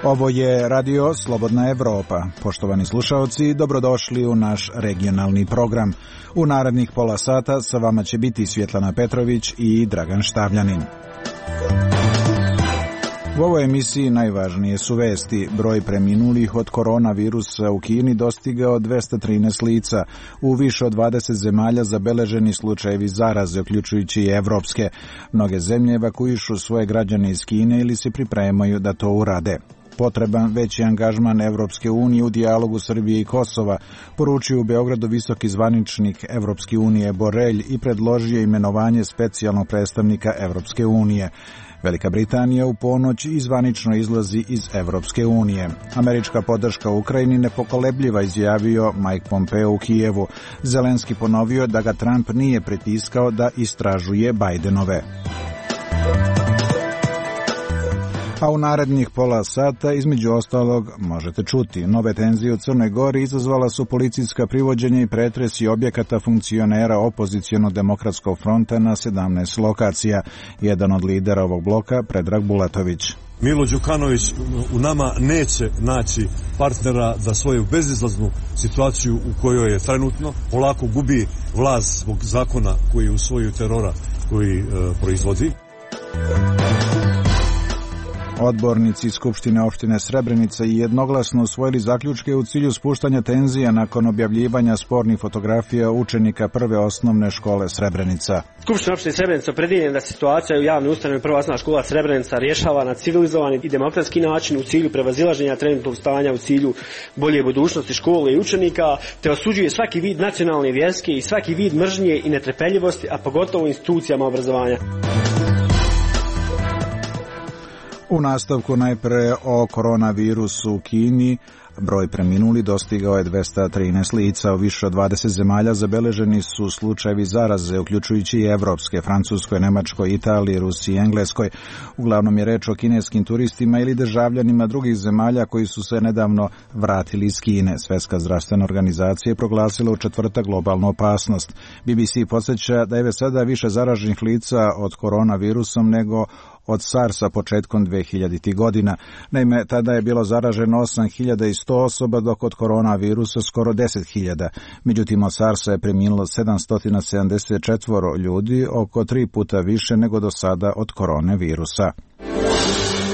Ovo je Radio Slobodna Evropa. Poštovani slušaoci, dobrodošli u naš regionalni program. U narednih pola sata sa vama će biti Svjetlana Petrović i Dragan Štavljanin. U ovoj emisiji najvažnije su vesti. Broj preminulih od koronavirusa u Kini dostigao 213 lica. U više od 20 zemalja zabeleženi slučajevi zaraze, uključujući i evropske. Mnoge zemlje evakuišu svoje građane iz Kine ili se pripremaju da to urade. Potreban veći angažman Evropske unije u dijalogu Srbije i Kosova, poručio u Beogradu visoki zvaničnik Evropske unije Borelj i predložio imenovanje specijalnog predstavnika Evropske unije. Velika Britanija u ponoć zvanično izlazi iz Evropske unije. Američka podrška Ukrajini nepokolebljiva, izjavio Mike Pompeo u Kijevu. Zelenski ponovio da ga Trump nije pritiskao da istražuje Bajdenove. A u narednih pola sata, između ostalog, možete čuti. Nove tenzije u Crnoj Gori izazvala su policijska privođenja i pretresi objekata funkcionera opozicionog demokratskog fronta na 17 lokacija. Jedan od lidera ovog bloka, Predrag Bulatović. Milo Đukanović u nama neće naći partnera za svoju bezizlaznu situaciju u kojoj je trenutno. Polako gubi vlast zbog zakona koji usvojio terora koji proizvodi. Odbornici Skupštine opštine Srebrenica i jednoglasno usvojili zaključke u cilju spuštanja tenzija nakon objavljivanja spornih fotografija učenika prve osnovne škole Srebrenica. Skupština opštine Srebrenica opredeljena da situacija u javnoj ustanovi prva osnovna škola Srebrenica rješava na civilizovani i demokratski način u cilju prevazilaženja trenutnog stanja, u cilju bolje budućnosti škole i učenika, te osuđuje svaki vid nacionalne, vjerske i svaki vid mržnje i netrpeljivosti, a pogotovo u institucijama obrazovanja. U nastavku najpre o koronavirusu u Kini. Broj preminuli dostigao je 213 lica. U više od 20 zemalja zabeleženi su slučajevi zaraze, uključujući i evropske, Francuskoj, Nemačkoj, Italiji, Rusiji i Engleskoj. Uglavnom je reč o kineskim turistima ili državljanima drugih zemalja koji su se nedavno vratili iz Kine. Svjetska zdravstvena organizacija je proglasila u četvrtak globalnu opasnost. BBC podsjeća da je već sada više zaraženih lica od koronavirusom nego od SARS-a početkom 2000. godina. Naime, tada je bilo zaraženo 8100 osoba, dok od koronavirusa skoro 10.000. Međutim, od SARS-a je preminulo 774 ljudi, oko 3 puta više nego do sada od koronavirusa.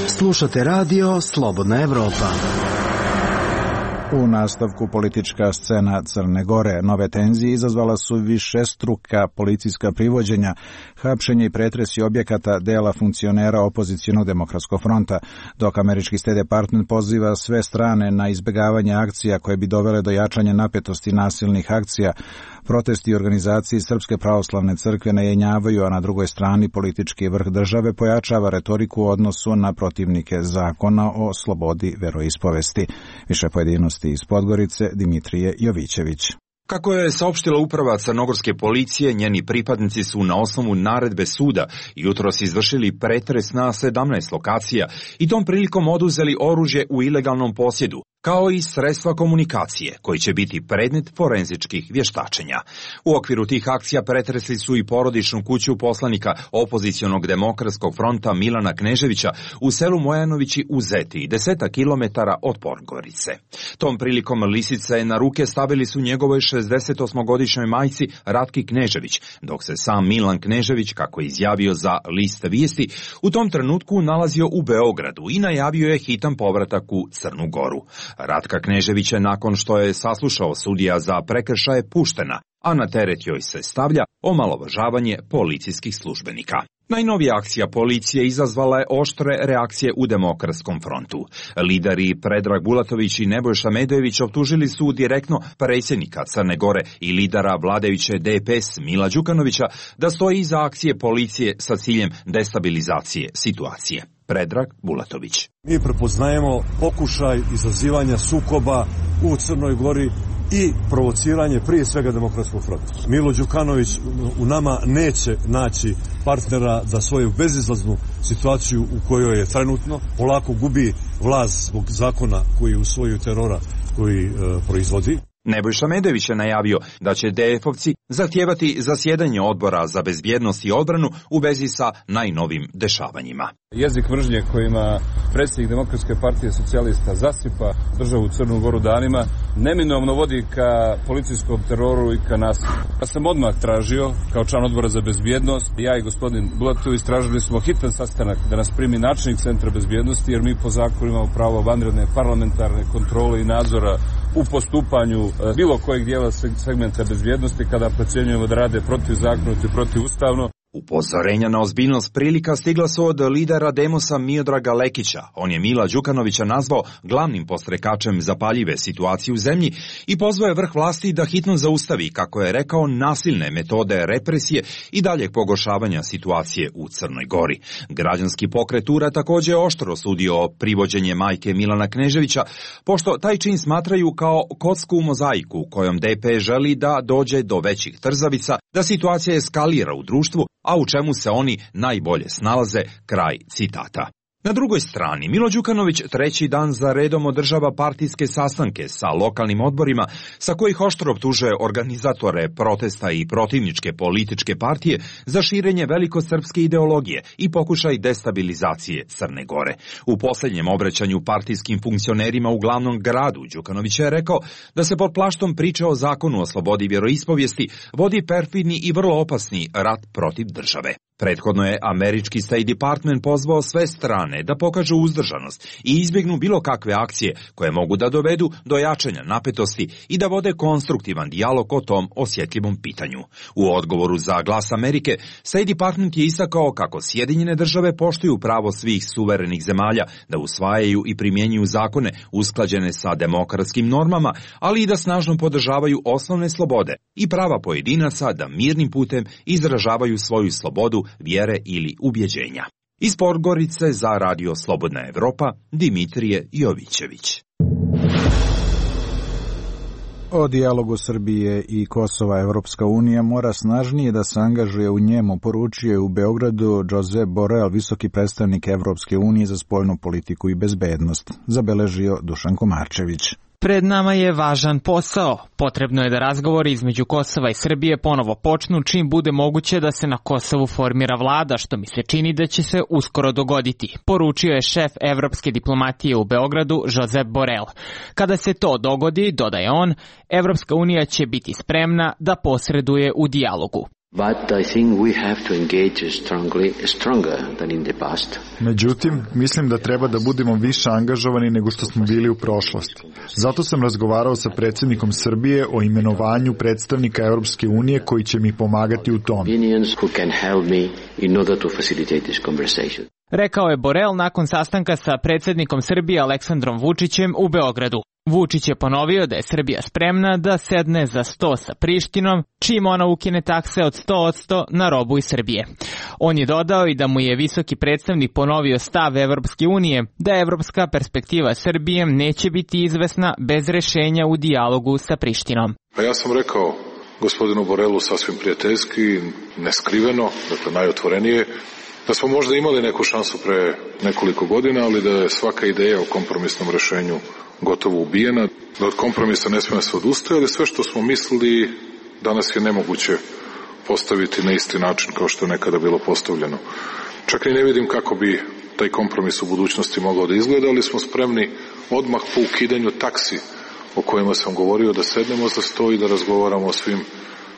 Slušate Radio Slobodna Evropa. U nastavku politička scena Crne Gore. Nove tenzije izazvala su višestruka policijska privođenja, hapšenje i pretresi objekata dela funkcionera opozicionog demokratskog fronta, dok američki State Department poziva sve strane na izbjegavanje akcija koje bi dovele do jačanja napetosti nasilnih akcija. Protesti organizacije Srpske pravoslavne crkve najenjavaju, a na drugoj strani politički vrh države pojačava retoriku u odnosu na protivnike zakona o slobodi veroispovesti. Više pojedinosti iz Podgorice, Dimitrije Jovićević. Kako je saopštila uprava crnogorske policije, njeni pripadnici su na osnovu naredbe suda jutros izvršili pretres na 17 lokacija i tom prilikom oduzeli oružje u ilegalnom posjedu, kao i sredstva komunikacije, koji će biti predmet forenzičkih vještačenja. U okviru tih akcija pretresli su i porodičnu kuću poslanika opozicionog demokratskog fronta Milana Kneževića u selu Mojanovići u Zeti, 10 kilometara od Podgorice. Tom prilikom lisice na ruke stavili su njegovoj 68-godišnjoj majci Ratki Knežević, dok se sam Milan Knežević, kako je izjavio za List vijesti, u tom trenutku nalazio u Beogradu i najavio je hitan povratak u Crnu Goru. Ratka Knežević je, nakon što je saslušao sudija za prekršaje, puštena, a na teret joj se stavlja omalovažavanje policijskih službenika. Najnovija akcija policije izazvala je oštre reakcije u Demokratskom frontu. Lideri Predrag Bulatović i Nebojša Medojević optužili su direktno predsjednika Crne Gore i lidera vladajuće DPS Mila Đukanovića da stoji iza akcije policije sa ciljem destabilizacije situacije. Predrag Bulatović. Mi prepoznajemo pokušaj izazivanja sukoba u Crnoj Gori i provociranje prije svega Demokratskog fronta. Milo Đukanović u nama neće naći partnera za svoju bezizlaznu situaciju u kojoj je trenutno. Polako gubi vlast zbog zakona koji usvojio terora koji proizvodi. Nebojša Medović je najavio da će DF-ovci zahtijevati zasjedanje odbora za bezbjednost i odbranu u vezi sa najnovim dešavanjima. Jezik mržnje kojima predsjednik Demokratske partije socijalista zasipa državu Crnu Goru danima neminovno vodi ka policijskom teroru i ka nasilju. Ja sam odmah tražio, kao član odbora za bezbjednost, ja i gospodin Bulatović tražili smo hitan sastanak da nas primi načelnik Centra bezbjednosti, jer mi po zakonu imamo pravo vanredne parlamentarne kontrole i nadzora u postupanju bilo kojeg dijela segmenta bezbjednosti kada procjenjujemo da rade protivzakonito i protivustavno. Upozorenja na ozbiljnost prilika stigla su od lidera Demosa Miodraga Lekića. On je Mila Đukanovića nazvao glavnim podstrekačem zapaljive situacije u zemlji i pozvao je vrh vlasti da hitno zaustavi, kako je rekao, nasilne metode represije i daljeg pogoršavanja situacije u Crnoj Gori. Građanski pokret URA također je oštro osudio privođenje majke Milana Kneževića, pošto taj čin smatraju kao kocku u mozaiku kojom DP želi da dođe do većih trzavica, da situacija eskalira u društvu, a u čemu se oni najbolje snalaze, kraj citata. Na drugoj strani, Milo Đukanović treći dan za redom održava partijske sastanke sa lokalnim odborima, sa kojih oštro optužuje organizatore protesta i protivničke političke partije za širenje velikosrpske ideologije i pokušaj destabilizacije Crne Gore. U posljednjem obraćanju partijskim funkcionerima u glavnom gradu Đukanović je rekao da se pod plaštom priče o zakonu o slobodi vjeroispovijesti vodi perfidni i vrlo opasni rat protiv države. Prethodno je američki State Department pozvao sve strane da pokažu uzdržanost i izbjegnu bilo kakve akcije koje mogu da dovedu do jačanja napetosti i da vode konstruktivan dijalog o tom osjetljivom pitanju. U odgovoru za Glas Amerike, State Department je istakao kako Sjedinjene države poštuju pravo svih suverenih zemalja da usvajaju i primjenjuju zakone usklađene sa demokratskim normama, ali i da snažno podržavaju osnovne slobode i prava pojedinaca da mirnim putem izražavaju svoju slobodu, vjere ili ubjeđenja. Iz Podgorice za Radio Slobodna Evropa, Dimitrije Jovićević. O dijalogu Srbije i Kosova Evropska unija mora snažnije da se angažuje u njemu, poručio je u Beogradu Josep Borrell, visoki predstavnik Evropske unije za spoljnu politiku i bezbednost, zabeležio Dušan Komarčević. Pred nama je važan posao. Potrebno je da razgovori između Kosova i Srbije ponovo počnu čim bude moguće da se na Kosovu formira vlada, što mi se čini da će se uskoro dogoditi, poručio je šef evropske diplomatije u Beogradu Josep Borrell. Kada se to dogodi, dodaje on, Evropska unija će biti spremna da posreduje u dijalogu. Međutim, mislim da treba da budemo više angažovani nego što smo bili u prošlosti. Zato sam razgovarao sa predsjednikom Srbije o imenovanju predstavnika Europske unije koji će mi pomagati u tom. Rekao je Borrell nakon sastanka sa predsjednikom Srbije Aleksandrom Vučićem u Beogradu. Vučić je ponovio da je Srbija spremna da sedne za sto sa Prištinom, čim ona ukine takse od 100% na robu iz Srbije. On je dodao i da mu je visoki predstavnik ponovio stav Evropske unije da evropska perspektiva Srbije neće biti izvesna bez rešenja u dijalogu sa Prištinom. Pa ja sam rekao gospodinu Borrellu sasvim prijateljski, neskriveno, dakle najotvorenije, da smo možda imali neku šansu pre nekoliko godina, ali da je svaka ideja o kompromisnom rešenju gotovo ubijena, da od kompromisa ne smije se odustaje, ali sve što smo mislili danas je nemoguće postaviti na isti način kao što je nekada bilo postavljeno. Čak i ne vidim kako bi taj kompromis u budućnosti mogao da izgleda, ali smo spremni odmah po ukidanju taksi o kojima sam govorio da sednemo za sto i da razgovaramo o svim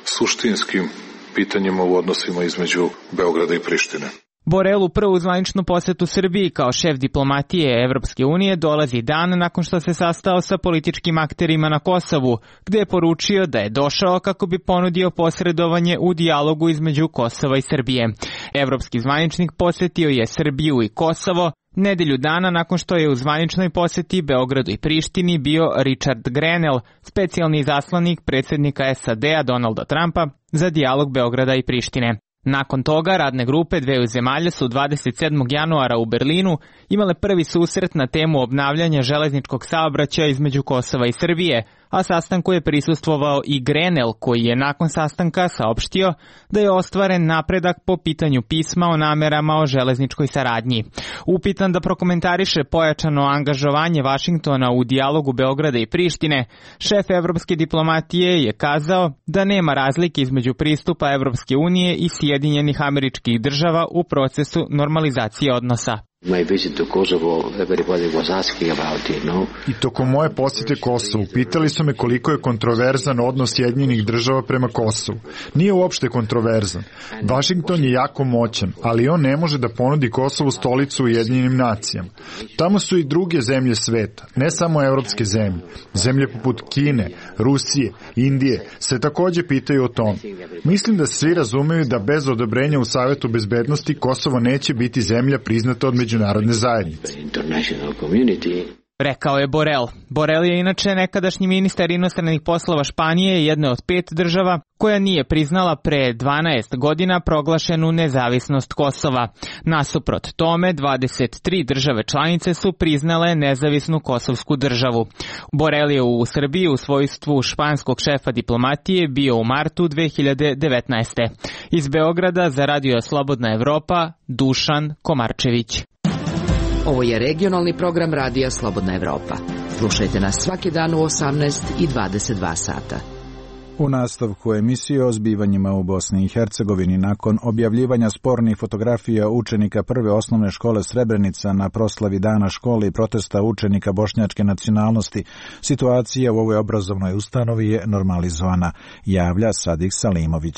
suštinskim pitanjima u odnosima između Beograda i Prištine. Borrell u prvu zvaničnu posetu Srbiji kao šef diplomatije Evropske unije dolazi dan nakon što se sastao sa političkim akterima na Kosovu, gde je poručio da je došao kako bi ponudio posredovanje u dijalogu između Kosova i Srbije. Evropski zvaničnik posetio je Srbiju i Kosovo nedelju dana nakon što je u zvaničnoj poseti Beogradu i Prištini bio Richard Grenell, specijalni izaslanik predsjednika SAD-a Donalda Trumpa za dijalog Beograda i Prištine. Nakon toga, radne grupe dveju zemalja su 27. januara u Berlinu imale prvi susret na temu obnavljanja železničkog saobraćaja između Kosova i Srbije, a sastanku je prisustvovao i Grenell, koji je nakon sastanka saopštio da je ostvaren napredak po pitanju pisma o namerama o železničkoj saradnji. Upitan da prokomentariše pojačano angažovanje Vašingtona u dijalogu Beograda i Prištine, šef evropske diplomatije je kazao da nema razlike između pristupa Evropske unije i Sjedinjenih Američkih Država u procesu normalizacije odnosa. I tokom moje posjete Kosovu pitali su me koliko je kontroverzan odnos Sjedinjenih Država prema Kosovu. Nije uopšte kontroverzan. Vašington je jako moćan, ali on ne može da ponudi Kosovu stolicu u Ujedinjenim nacijama. Tamo su i druge zemlje sveta, ne samo evropske zemlje. Zemlje poput Kine, Rusije, Indije se takođe pitaju o tom. Mislim da svi razumeju da bez odobrenja u Savetu bezbednosti Kosovo neće biti zemlja priznata od međunarodne zajednice. Rekao je Borel. Borel je inače nekadašnji ministar inostranih poslova Španije, jedne od 5 država koja nije priznala pre 12 godina proglašenu nezavisnost Kosova. Nasuprot tome, 23 države članice su priznale nezavisnu kosovsku državu. Borel je u Srbiji u svojstvu španskog šefa diplomatije bio u martu 2019. Iz Beograda za Radio Slobodna Evropa, Dušan Komarčević. Ovo je regionalni program Radija Slobodna Evropa. Slušajte nas svaki dan u 18 i 22 sata. U nastavku emisije o zbivanjima u Bosni i Hercegovini nakon objavljivanja spornih fotografija učenika prve osnovne škole Srebrenica na proslavi dana škole i protesta učenika bošnjačke nacionalnosti, situacija u ovoj obrazovnoj ustanovi je normalizovana, javlja Sadik Salimović.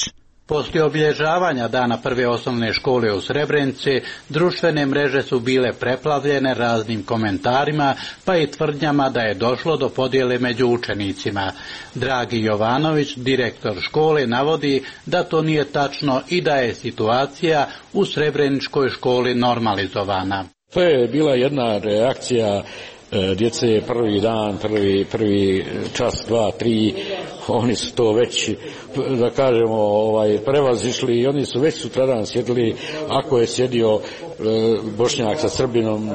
Poslije obilježavanja dana prve osnovne škole u Srebrenici, društvene mreže su bile preplavljene raznim komentarima, pa i tvrdnjama da je došlo do podjele među učenicima. Dragi Jovanović, direktor škole, navodi da to nije tačno i da je situacija u Srebreničkoj školi normalizovana. To je bila jedna reakcija djece, prvi dan, prvi čas, 2, 3, oni su to već, da kažemo, prevazišli i oni su već sutradan sjedili, ako je sjedio Bošnjak sa Srbinom,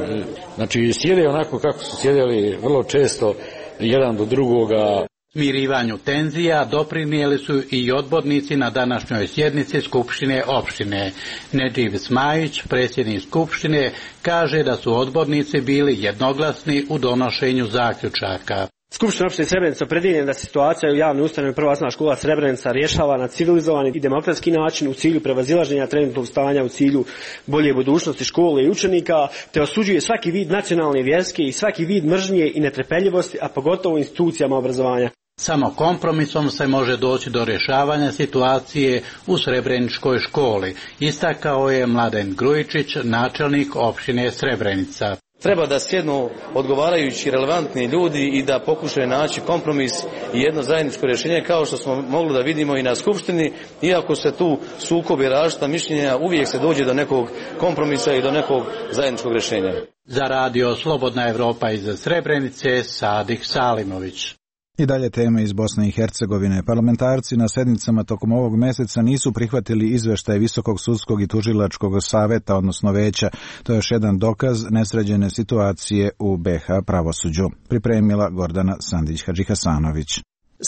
znači sjede onako kako su sjedili vrlo često jedan do drugoga. Smirivanju tenzija doprinijeli su i odbornici na današnjoj sjednici Skupštine opštine. Nedživ Smajić, predsjednik Skupštine, kaže da su odbornici bili jednoglasni u donošenju zaključaka. Skupština opštine Srebrenica opredjeljena da se situacija u javnoj ustanovi Prva osnovna škola Srebrenica rješava na civilizovani i demokratski način u cilju prevazilaženja trenutnog stanja, u cilju bolje budućnosti škole i učenika, te osuđuje svaki vid nacionalne, vjerske i svaki vid mržnje i netrpeljivosti, a pogotovo institucijama obrazovanja. Samo kompromisom se može doći do rješavanja situacije u Srebreničkoj školi, istakao je Mladen Grujičić, načelnik opštine Srebrenica. Treba da sjednu odgovarajući relevantni ljudi i da pokušaju naći kompromis i jedno zajedničko rješenje, kao što smo mogli da vidimo i na Skupštini. Iako se tu sukobe različita mišljenja, uvijek se dođe do nekog kompromisa i do nekog zajedničkog rješenja. Za Radio Slobodna Evropa iz Srebrenice, Sadik Salimović. I dalje teme iz Bosne i Hercegovine. Parlamentarci na sednicama tokom ovog meseca nisu prihvatili izveštaj Visokog sudskog i tužilačkog saveta, odnosno veća. To je još jedan dokaz nesređene situacije u BiH pravosuđu. Pripremila Gordana Sandić-Hadžihasanović.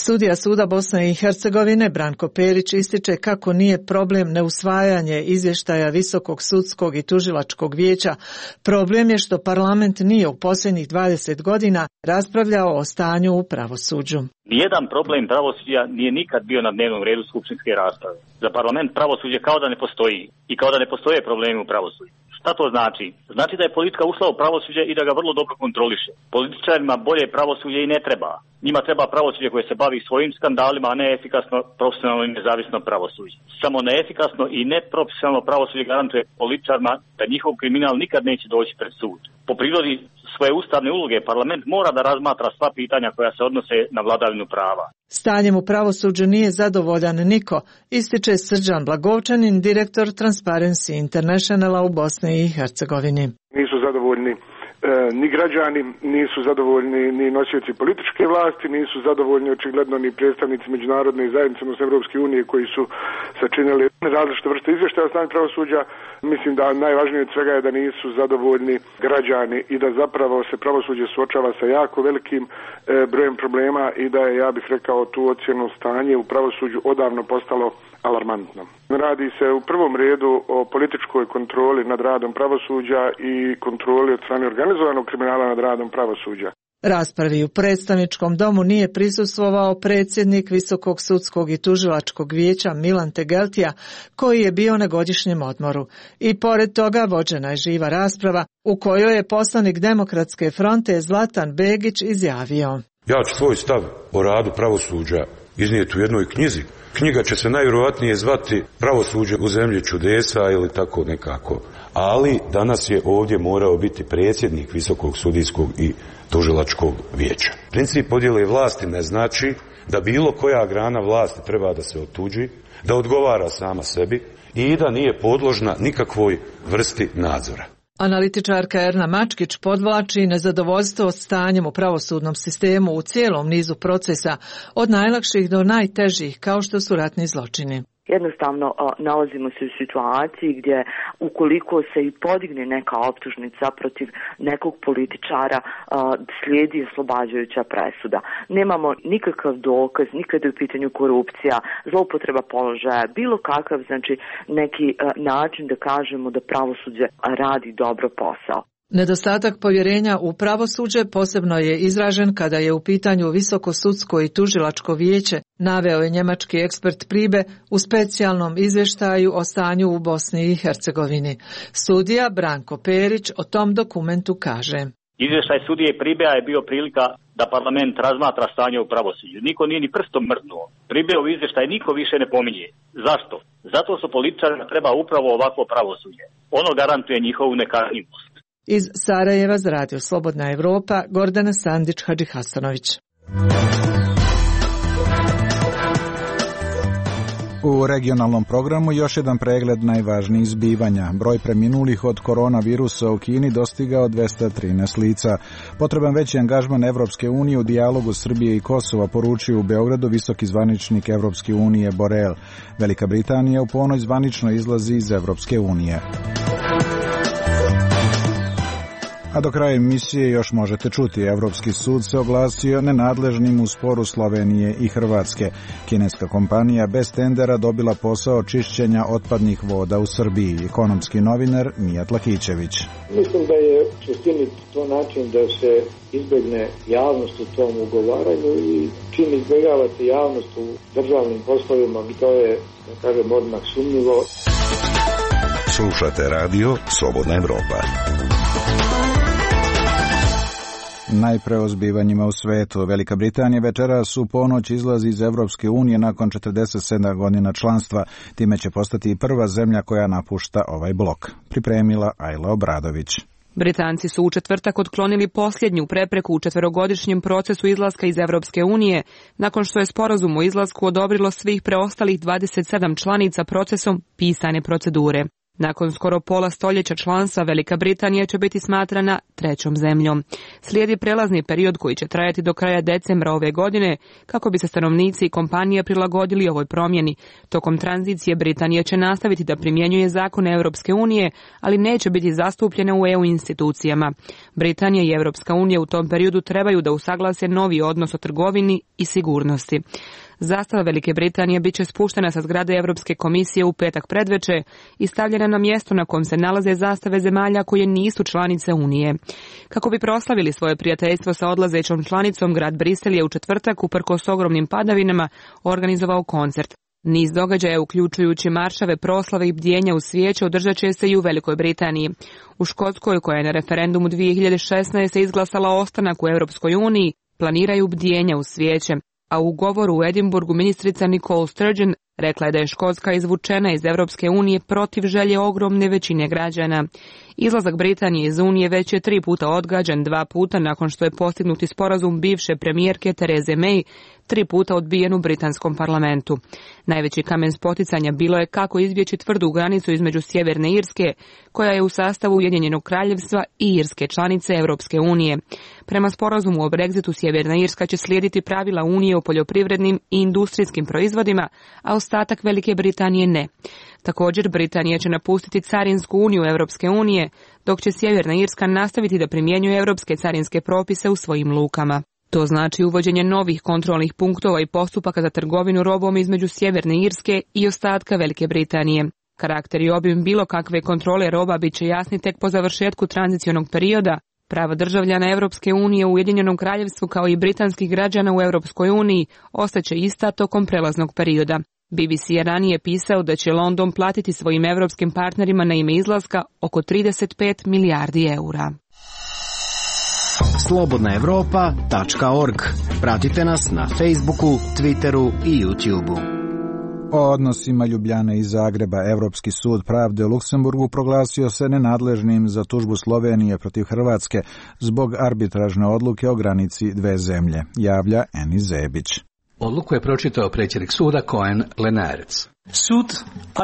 Sudija Suda Bosne i Hercegovine Branko Perić ističe kako nije problem neusvajanje izvještaja Visokog sudskog i tužilačkog vijeća. Problem je što parlament nije u posljednjih 20 godina raspravljao o stanju u pravosuđu. Nijedan problem pravosuđa nije nikad bio na dnevnom redu skupštinske rasprave. Za parlament pravosuđe kao da ne postoji i kao da ne postoje problemi u pravosuđu. Šta to znači? Znači da je politika ušla u pravosuđe i da ga vrlo dobro kontroliše. Političarima bolje pravosuđe i ne treba. Njima treba pravosuđe koje se bavi svojim skandalima, a ne efikasno, profesionalno i nezavisno pravosuđe. Samo neefikasno i neprofesionalno pravosuđe garantuje političarima da njihov kriminal nikad neće doći pred sud. Po prirodi svoje ustavne uloge parlament mora da razmatra sva pitanja koja se odnose na vladavinu prava. Stanjem u pravosuđu nije zadovoljan niko, ističe Srđan Blagovčanin, direktor Transparency Internationala u Bosni i Hercegovini. Nisu zadovoljni ni građani nisu zadovoljni, ni nosioci političke vlasti, nisu zadovoljni očigledno ni predstavnici međunarodne zajednice, odnosno Evropske unije koji su sačinili različite vrste izvještaja o stanju pravosuđa. Mislim da najvažnije od svega je da nisu zadovoljni građani i da zapravo se pravosuđe suočava sa jako velikim brojem problema i da je, ja bih rekao, tu ocjenu stanje u pravosuđu odavno postalo alarmantno. Radi se u prvom redu o političkoj kontroli nad radom pravosuđa i kontroli od strane organizovanog kriminala nad radom pravosuđa. Raspravi u predstavničkom domu nije prisustvovao predsjednik Visokog sudskog i tužilačkog vijeća Milan Tegeltija, koji je bio na godišnjem odmoru. I pored toga vođena je živa rasprava u kojoj je poslanik Demokratske fronte Zlatan Begić izjavio: Ja ću svoj stav o radu pravosuđa iznijeti u jednoj knjizi. Knjiga će se najvjerojatnije zvati Pravosuđe u zemlji čudesa ili tako nekako. Ali danas je ovdje morao biti predsjednik Visokog sudijskog i tužilačkog vijeća. Princip podjele vlasti ne znači da bilo koja grana vlasti treba da se otuđi, da odgovara sama sebi i da nije podložna nikakvoj vrsti nadzora. Analitičarka Erna Mačkić podvlači nezadovoljstvo stanjem u pravosudnom sistemu u cijelom nizu procesa, od najlakših do najtežih, kao što su ratni zločini. Jednostavno nalazimo se u situaciji gdje ukoliko se i podigne neka optužnica protiv nekog političara, slijedi oslobađajuća presuda. Nemamo nikakav dokaz, nikada je u pitanju korupcija, zloupotreba položaja, bilo kakav, znači neki način da kažemo da pravosuđe radi dobro posao. Nedostatak povjerenja u pravosuđe posebno je izražen kada je u pitanju Visoko sudsko i tužilačko vijeće, naveo je njemački ekspert Pribe u specijalnom izvještaju o stanju u Bosni i Hercegovini. Sudija Branko Perić o tom dokumentu kaže: Izvještaj sudije Pribea je bio prilika da parlament razmatra stanje u pravosuđu. Niko nije ni prstom mrdnuo. Pribeov izvještaj niko više ne pominje. Zašto? Zato su političarima treba upravo ovako pravosuđe. Ono garantuje njihovu nekažnjivost. Iz Sarajeva za Radio Slobodna Evropa, Gordana Sandić-Hadžihasanović. U regionalnom programu još jedan pregled najvažnijih zbivanja. Broj preminulih od koronavirusa u Kini dostigao 213 lica. Potreban veći angažman Evropske unije u dijalogu Srbije i Kosova, poručio u Beogradu visoki zvaničnik Evropske unije Borel. Velika Britanija u ponoć zvanično izlazi iz Evropske unije. A do kraja emisije još možete čuti, Evropski sud se oglasio nenadležnim u sporu Slovenije i Hrvatske. Kineska kompanija bez tendera dobila posao čišćenja otpadnih voda u Srbiji. Ekonomski novinar Mijat Lakićević. Mislim da je u suštini to način da se izbjegne javnost u tom ugovaranju i čim izbjegavate javnost u državnim poslovima, to je, da kažem, odmah sumnjivo. Slušate radio Slobodna Evropa. Najpre o zbivanjima u svetu. Velika Britanija večeras u ponoć izlazi iz Evropske unije nakon 47 godina članstva. Time će postati prva zemlja koja napušta ovaj blok. Pripremila Ajla Obradović. Britanci su u četvrtak otklonili posljednju prepreku u 4-godišnjem procesu izlaska iz Evropske unije, nakon što je sporazum o izlasku odobrilo svih preostalih 27 članica procesom pisane procedure. Nakon skoro pola stoljeća članstva, Velika Britanija će biti smatrana trećom zemljom. Slijedi prelazni period koji će trajati do kraja decembra ove godine, kako bi se stanovnici i kompanije prilagodili ovoj promjeni. Tokom tranzicije Britanija će nastaviti da primjenjuje zakone Europske unije, ali neće biti zastupljena u EU institucijama. Britanija i Europska unija u tom periodu trebaju da usaglase novi odnos o trgovini i sigurnosti. Zastava Velike Britanije bit će spuštena sa zgrade Europske komisije u petak predveče i stavljena na mjesto na kojem se nalaze zastave zemalja koje nisu članice Unije. Kako bi proslavili svoje prijateljstvo sa odlazećom članicom, grad Brisel je u četvrtak, uprkos ogromnim padavinama, organizovao koncert. Niz događaja, uključujući maršave, proslave i bdjenja u svijeće, održat će se i u Velikoj Britaniji. U Škotskoj, koja je na referendumu 2016. izglasala ostanak u Europskoj uniji, planiraju bdjenja u svijeće. A u govoru u Edinburgu ministrica Nicole Sturgeon rekla je da je Škotska izvučena iz Europske unije protiv želje ogromne većine građana. Izlazak Britanije iz Unije već je 3 puta odgađan, 2 puta nakon što je postignuti sporazum bivše premijerke Therese May, 3 puta odbijen u britanskom parlamentu. Najveći kamen spoticanja bilo je kako izbjeći tvrdu granicu između Sjeverne Irske, koja je u sastavu Ujedinjenog kraljevstva, i Irske, članice Europske unije. Prema sporazumu o Brexitu, Sjeverna Irska će slijediti pravila Unije o poljoprivrednim i industrijskim proizvodima, a ostatak Velike Britanije ne. Također, Britanija će napustiti Carinsku uniju Europske unije, dok će Sjeverna Irska nastaviti da primjenjuje europske carinske propise u svojim lukama. To znači uvođenje novih kontrolnih punktova i postupaka za trgovinu robom između Sjeverne Irske i ostatka Velike Britanije. Karakter i obim bilo kakve kontrole roba bit će jasni tek po završetku tranzicionog perioda. Prava državljana Europske unije u Ujedinjenom kraljevstvu kao i britanskih građana u Europskoj uniji ostaće ista tokom prelaznog perioda. BBC je ranije pisao da će London platiti svojim europskim partnerima na ime izlaska oko 35 milijardi eura. Slobodnaevropa.org. Pratite nas na Facebooku, Twitteru i YouTubeu. O odnosima Ljubljane i Zagreba Evropski sud pravde u Luksemburgu proglasio se nenadležnim za tužbu Slovenije protiv Hrvatske zbog arbitražne odluke o granici dve zemlje, javlja Eni Zebić. Odluku je pročitao predsjednik suda Cohen Lenarec. Sud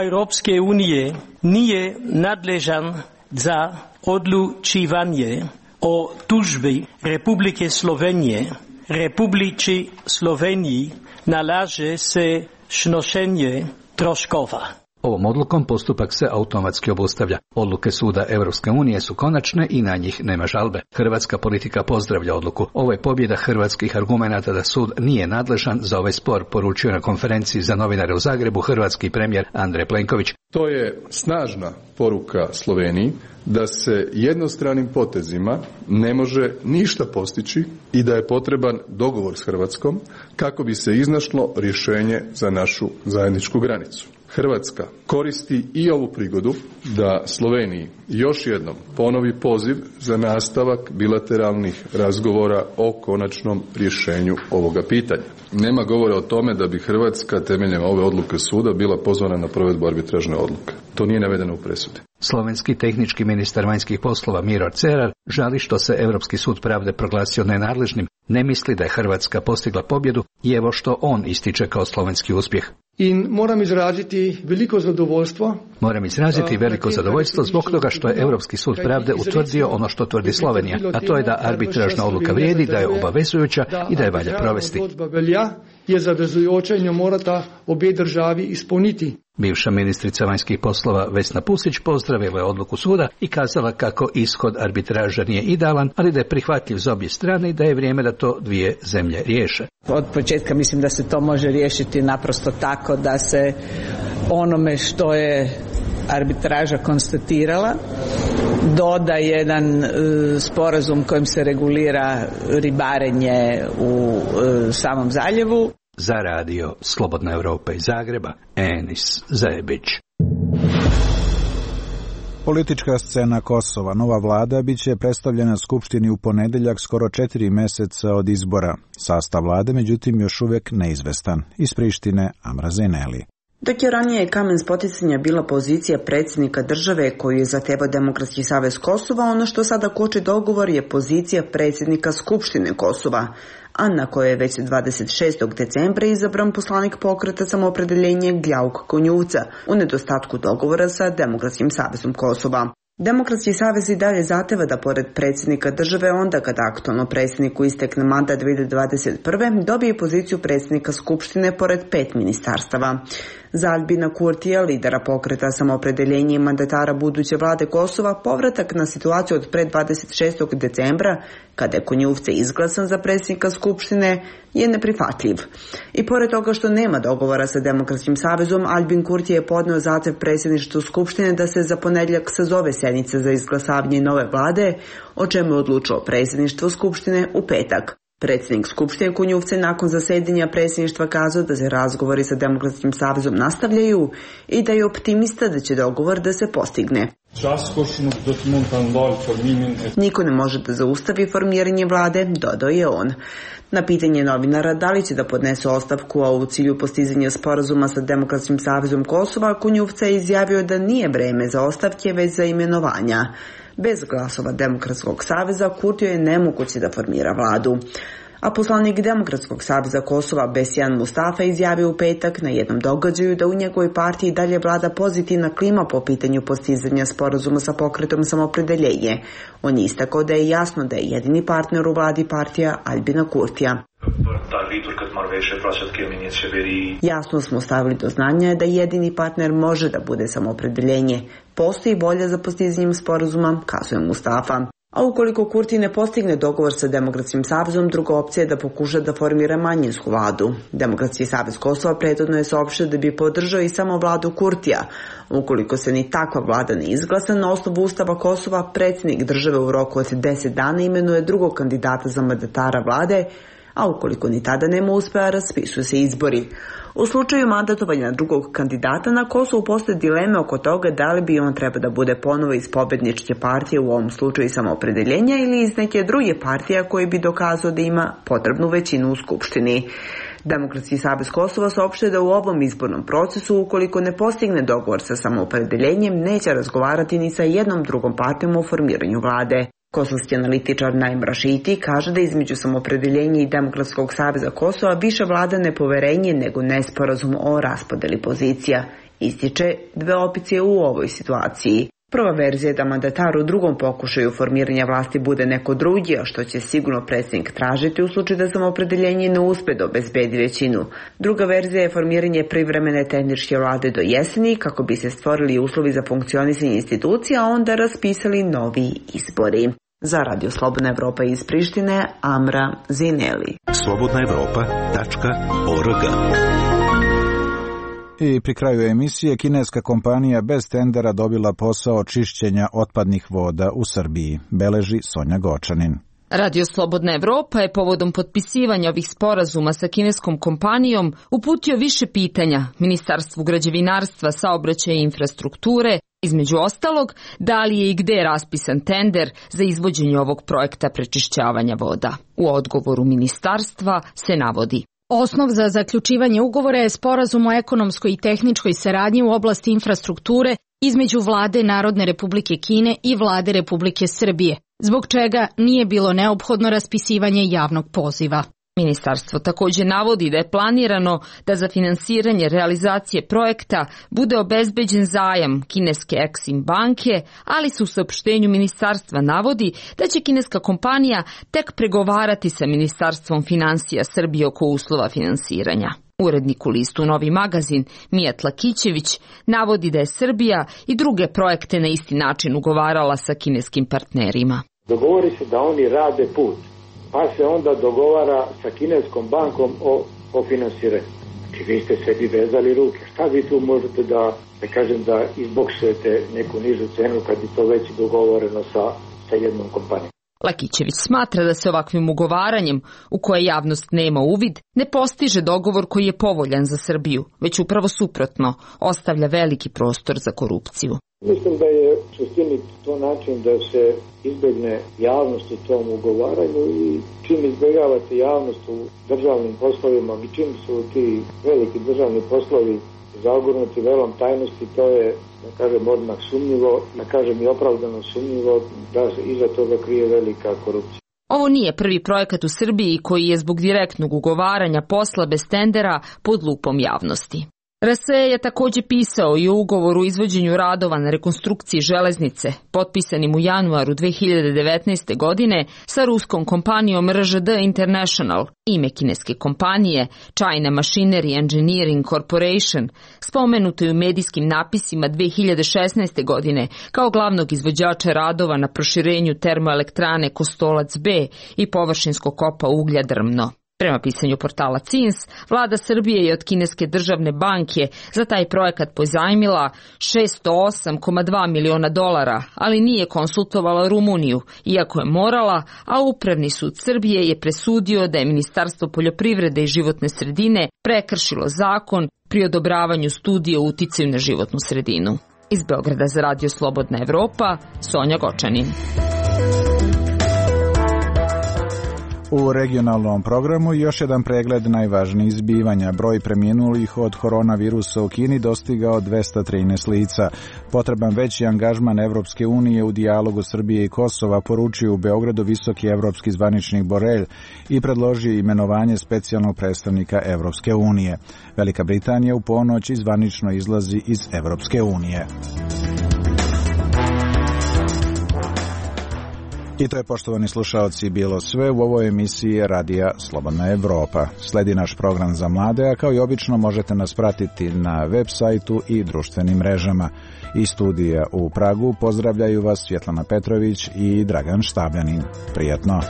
Europske unije nije nadležan za odlučivanje o tužbi Republike Slovenije. Republici Sloveniji nalaže se snošenje troškova. Ovom odlukom postupak se automatski obustavlja. Odluke suda Europske unije su konačne i na njih nema žalbe. Hrvatska politika pozdravlja odluku. Ovo je pobjeda hrvatskih argumenata da sud nije nadležan za ovaj spor, poručio na konferenciji za novinare u Zagrebu hrvatski premijer Andrej Plenković. To je snažna poruka Sloveniji da se jednostranim potezima ne može ništa postići i da je potreban dogovor s Hrvatskom kako bi se iznašlo rješenje za našu zajedničku granicu. Hrvatska koristi i ovu prigodu da Sloveniji još jednom ponovi poziv za nastavak bilateralnih razgovora o konačnom rješenju ovoga pitanja. Nema govora o tome da bi Hrvatska temeljem ove odluke suda bila pozvana na provedbu arbitražne odluke. To nije navedeno u presudi. Slovenski tehnički ministar vanjskih poslova Miro Cerar žali što se Europski sud pravde proglasio nenadležnim, ne misli da je Hrvatska postigla pobjedu i evo što on ističe kao slovenski uspjeh. In moram izraziti veliko zadovoljstvo. Moram izraziti veliko zadovoljstvo zbog toga što je Europski sud pravde utvrdio ono što tvrdi Slovenija, a to je da arbitražna odluka vrijedi, da je obavezujuća i da je valja provesti. Je zavezujoča in jo morata obe državi izpolniti. Bivša ministrica vanjskih poslova Vesna Pusić pozdravila je odluku suda i kazala kako ishod arbitraža nije idealan, ali da je prihvatljiv za obje strane i da je vrijeme da to dvije zemlje riješe. Od početka mislim da se to može riješiti naprosto tako da se onome što je arbitraža konstatirala doda jedan sporazum kojim se regulira ribarenje u samom zaljevu. Za radio Slobodna Europa iz Zagreba, Enis Zebić. Politička scena Kosova. Nova vlada biće predstavljena Skupštini u ponedjeljak skoro 4 mjeseca od izbora. Sastav vlade, međutim, još uvijek neizvestan. Iz Prištine, Amra Zeneli. Dok je ranije kamen spoticanja bila pozicija predsjednika države koju je zahtevao Demokratski savez Kosova, ono što sada koči dogovor je pozicija predsjednika Skupštine Kosova, a na kojoj je već 26. decembra izabran poslanik pokreta Samoopredeljenje Gljauk Konjuvca u nedostatku dogovora sa Demokratskim savezom Kosova. Demokratski savez i dalje zahteva da pored predsjednika države onda kada aktualno predsjedniku istekne mandat 2021. dobije poziciju predsjednika Skupštine pored 5 ministarstava. Za Albina Kurtija, lidera pokreta Samoopredeljenje i mandatara buduće vlade Kosova, povratak na situaciju od pred 26. decembra, kada je Konjuvce izglasan za predsjednika Skupštine, je neprihvatljiv. I pored toga što nema dogovora sa Demokratskim savezom, Albin Kurti je podneo zahtjev predsjedništvu Skupštine da se za ponedjeljak sazove sjednice za izglasavanje nove vlade, o čemu je odlučilo predsjedništvo Skupštine u petak. Predsjednik Skupštine Konjuvce nakon zasjedanja predsjedništva kazao da se razgovori sa Demokratskim savezom nastavljaju i da je optimista da će dogovor da se postigne. Niko ne može da zaustavi formiranje vlade, dodao je on. Na pitanje novinara da li će da podnesu ostavku, a u cilju postizanja sporazuma sa Demokratskim savezom Kosova, Konjuvca je izjavio da nije vreme za ostavke, već za imenovanja. Bez glasova Demokratskog saveza Kurtiju je nemoguće da formira vladu. A poslanik Demokratskog saveza Kosova Besjan Mustafa izjavio u petak na jednom događaju da u njegovoj partiji dalje vlada pozitivna klima po pitanju postizanja sporazuma sa pokretom Samoopredjeljenje. On je istakao da je jasno da je jedini partner u vladi partija Albina Kurtija. Jasno smo stavili do znanja da jedini partner može da bude Samoopredjeljenje. Postoji volja za postizanjem sporazuma, kazuje Mustafa. A ukoliko Kurti ne postigne dogovor sa Demokratskim savezom, druga opcija je da pokuša da formira manjinsku vladu. Demokratski savez Kosova prethodno je saopštio da bi podržao i samo vladu Kurtija. Ukoliko se ni takva vlada ne izglasa, na osnovu Ustava Kosova predsjednik države u roku od 10 dana imenuje drugog kandidata za mandatara vlade, a ukoliko ni tada nema uspeha, raspisuju se izbori. U slučaju mandatovanja drugog kandidata na Kosovu postoje dileme oko toga da li bi on treba da bude ponovo iz pobedničke partije, u ovom slučaju Samoopredjeljenja, ili iz neke druge partije koji bi dokazao da ima potrebnu većinu u Skupštini. Demokratski savez Kosova saopštuje da u ovom izbornom procesu, ukoliko ne postigne dogovor sa Samoopredjeljenjem, neće razgovarati ni sa jednom drugom partijom o formiranju vlade. Kosovski analitičar Naim Rašiti kaže da između Samoopredjeljenja i Demokratskog saveza Kosova više vlada nepoverenje nego nesporazum o raspodeli pozicija. Ističe dve opcije u ovoj situaciji. Prva verzija je da mandatar u drugom pokušaju formiranja vlasti bude neko drugi, a što će sigurno predsjednik tražiti u slučaju da Samoopredjeljenje ne uspe da obezbedi većinu. Druga verzija je formiranje privremene tehničke vlade do jeseni kako bi se stvorili uslovi za funkcionisanje institucija, a onda raspisali novi izbori. Za Radio Slobodna Evropa iz Prištine, Amra Zineli. slobodnaevropa.org. I pri kraju emisije, kineska kompanija bez tendera dobila posao čišćenja otpadnih voda u Srbiji, beleži Sonja Gočanin. Radio Slobodna Evropa je povodom potpisivanja ovih sporazuma sa kineskom kompanijom uputio više pitanja Ministarstvu građevinarstva, saobraćaja i infrastrukture, između ostalog, da li je i gde raspisan tender za izvođenje ovog projekta prečišćavanja voda. U odgovoru ministarstva se navodi: osnov za zaključivanje ugovora je sporazum o ekonomskoj i tehničkoj saradnji u oblasti infrastrukture između Vlade Narodne Republike Kine i Vlade Republike Srbije, zbog čega nije bilo neophodno raspisivanje javnog poziva. Ministarstvo također navodi da je planirano da za finansiranje realizacije projekta bude obezbeđen zajam kineske Exim banke, ali se u saopštenju ministarstva navodi da će kineska kompanija tek pregovarati sa Ministarstvom financija Srbije oko uslova finansiranja. Urednik u listu Novi magazin Mijat Lakićević navodi da je Srbija i druge projekte na isti način ugovarala sa kineskim partnerima. Dogovori se da oni rade put, pa se onda dogovara sa kineskom bankom o finansiranju. Znači vi ste sebi vezali ruke. Šta vi tu možete da kažem da izboksujete neku nižu cenu kad je to već dogovoreno sa jednom kompanijom? Lakićević smatra da se ovakvim ugovaranjem, u koje javnost nema uvid, ne postiže dogovor koji je povoljan za Srbiju, već upravo suprotno, ostavlja veliki prostor za korupciju. Mislim da je u suštini to način da se izbjegne javnost u tom ugovaranju i čim izbjegavate javnost u državnim poslovima i čim su ti veliki državni poslovi zagurnuti velom tajnosti, to je, da kažem, odmah sumnjivo, da kažem i opravdano sumnjivo da se iza toga krije velika korupcija. Ovo nije prvi projekat u Srbiji koji je zbog direktnog ugovaranja posla bez tendera pod lupom javnosti. RSE je također pisao i o ugovoru o izvođenju radova na rekonstrukciji železnice, potpisanim u januaru 2019. godine sa ruskom kompanijom RŽD International, ime kineske kompanije China Machinery Engineering Corporation, spomenuto je u medijskim napisima 2016. godine kao glavnog izvođača radova na proširenju termoelektrane Kostolac B i površinskog kopa uglja Drmno. Prema pisanju portala CINS, vlada Srbije je od kineske državne banke za taj projekat pozajmila $608,2 miliona, ali nije konsultovala Rumuniju, iako je morala, a Upravni sud Srbije je presudio da je Ministarstvo poljoprivrede i životne sredine prekršilo zakon pri odobravanju studije o uticaju na životnu sredinu. Iz Beograda za Radio Slobodna Evropa, Sonja Gočanin. U regionalnom programu još jedan pregled najvažnijih zbivanja. Broj preminulih od koronavirusa u Kini dostigao 213 lica. Potreban veći angažman Evropske unije u dijalogu Srbije i Kosova, poručio u Beogradu visoki evropski zvaničnik Borrell i predložio imenovanje specijalnog predstavnika Evropske unije. Velika Britanija u ponoć zvanično izlazi iz Evropske unije. I to je, poštovani slušaoci, bilo sve u ovoj emisiji Radija Slobodna Evropa. Sledi naš program za mlade, a kao i obično možete nas pratiti na web sajtu i društvenim mrežama. Iz studija u Pragu pozdravljaju vas Svjetlana Petrović i Dragan Štabljanin. Prijatno!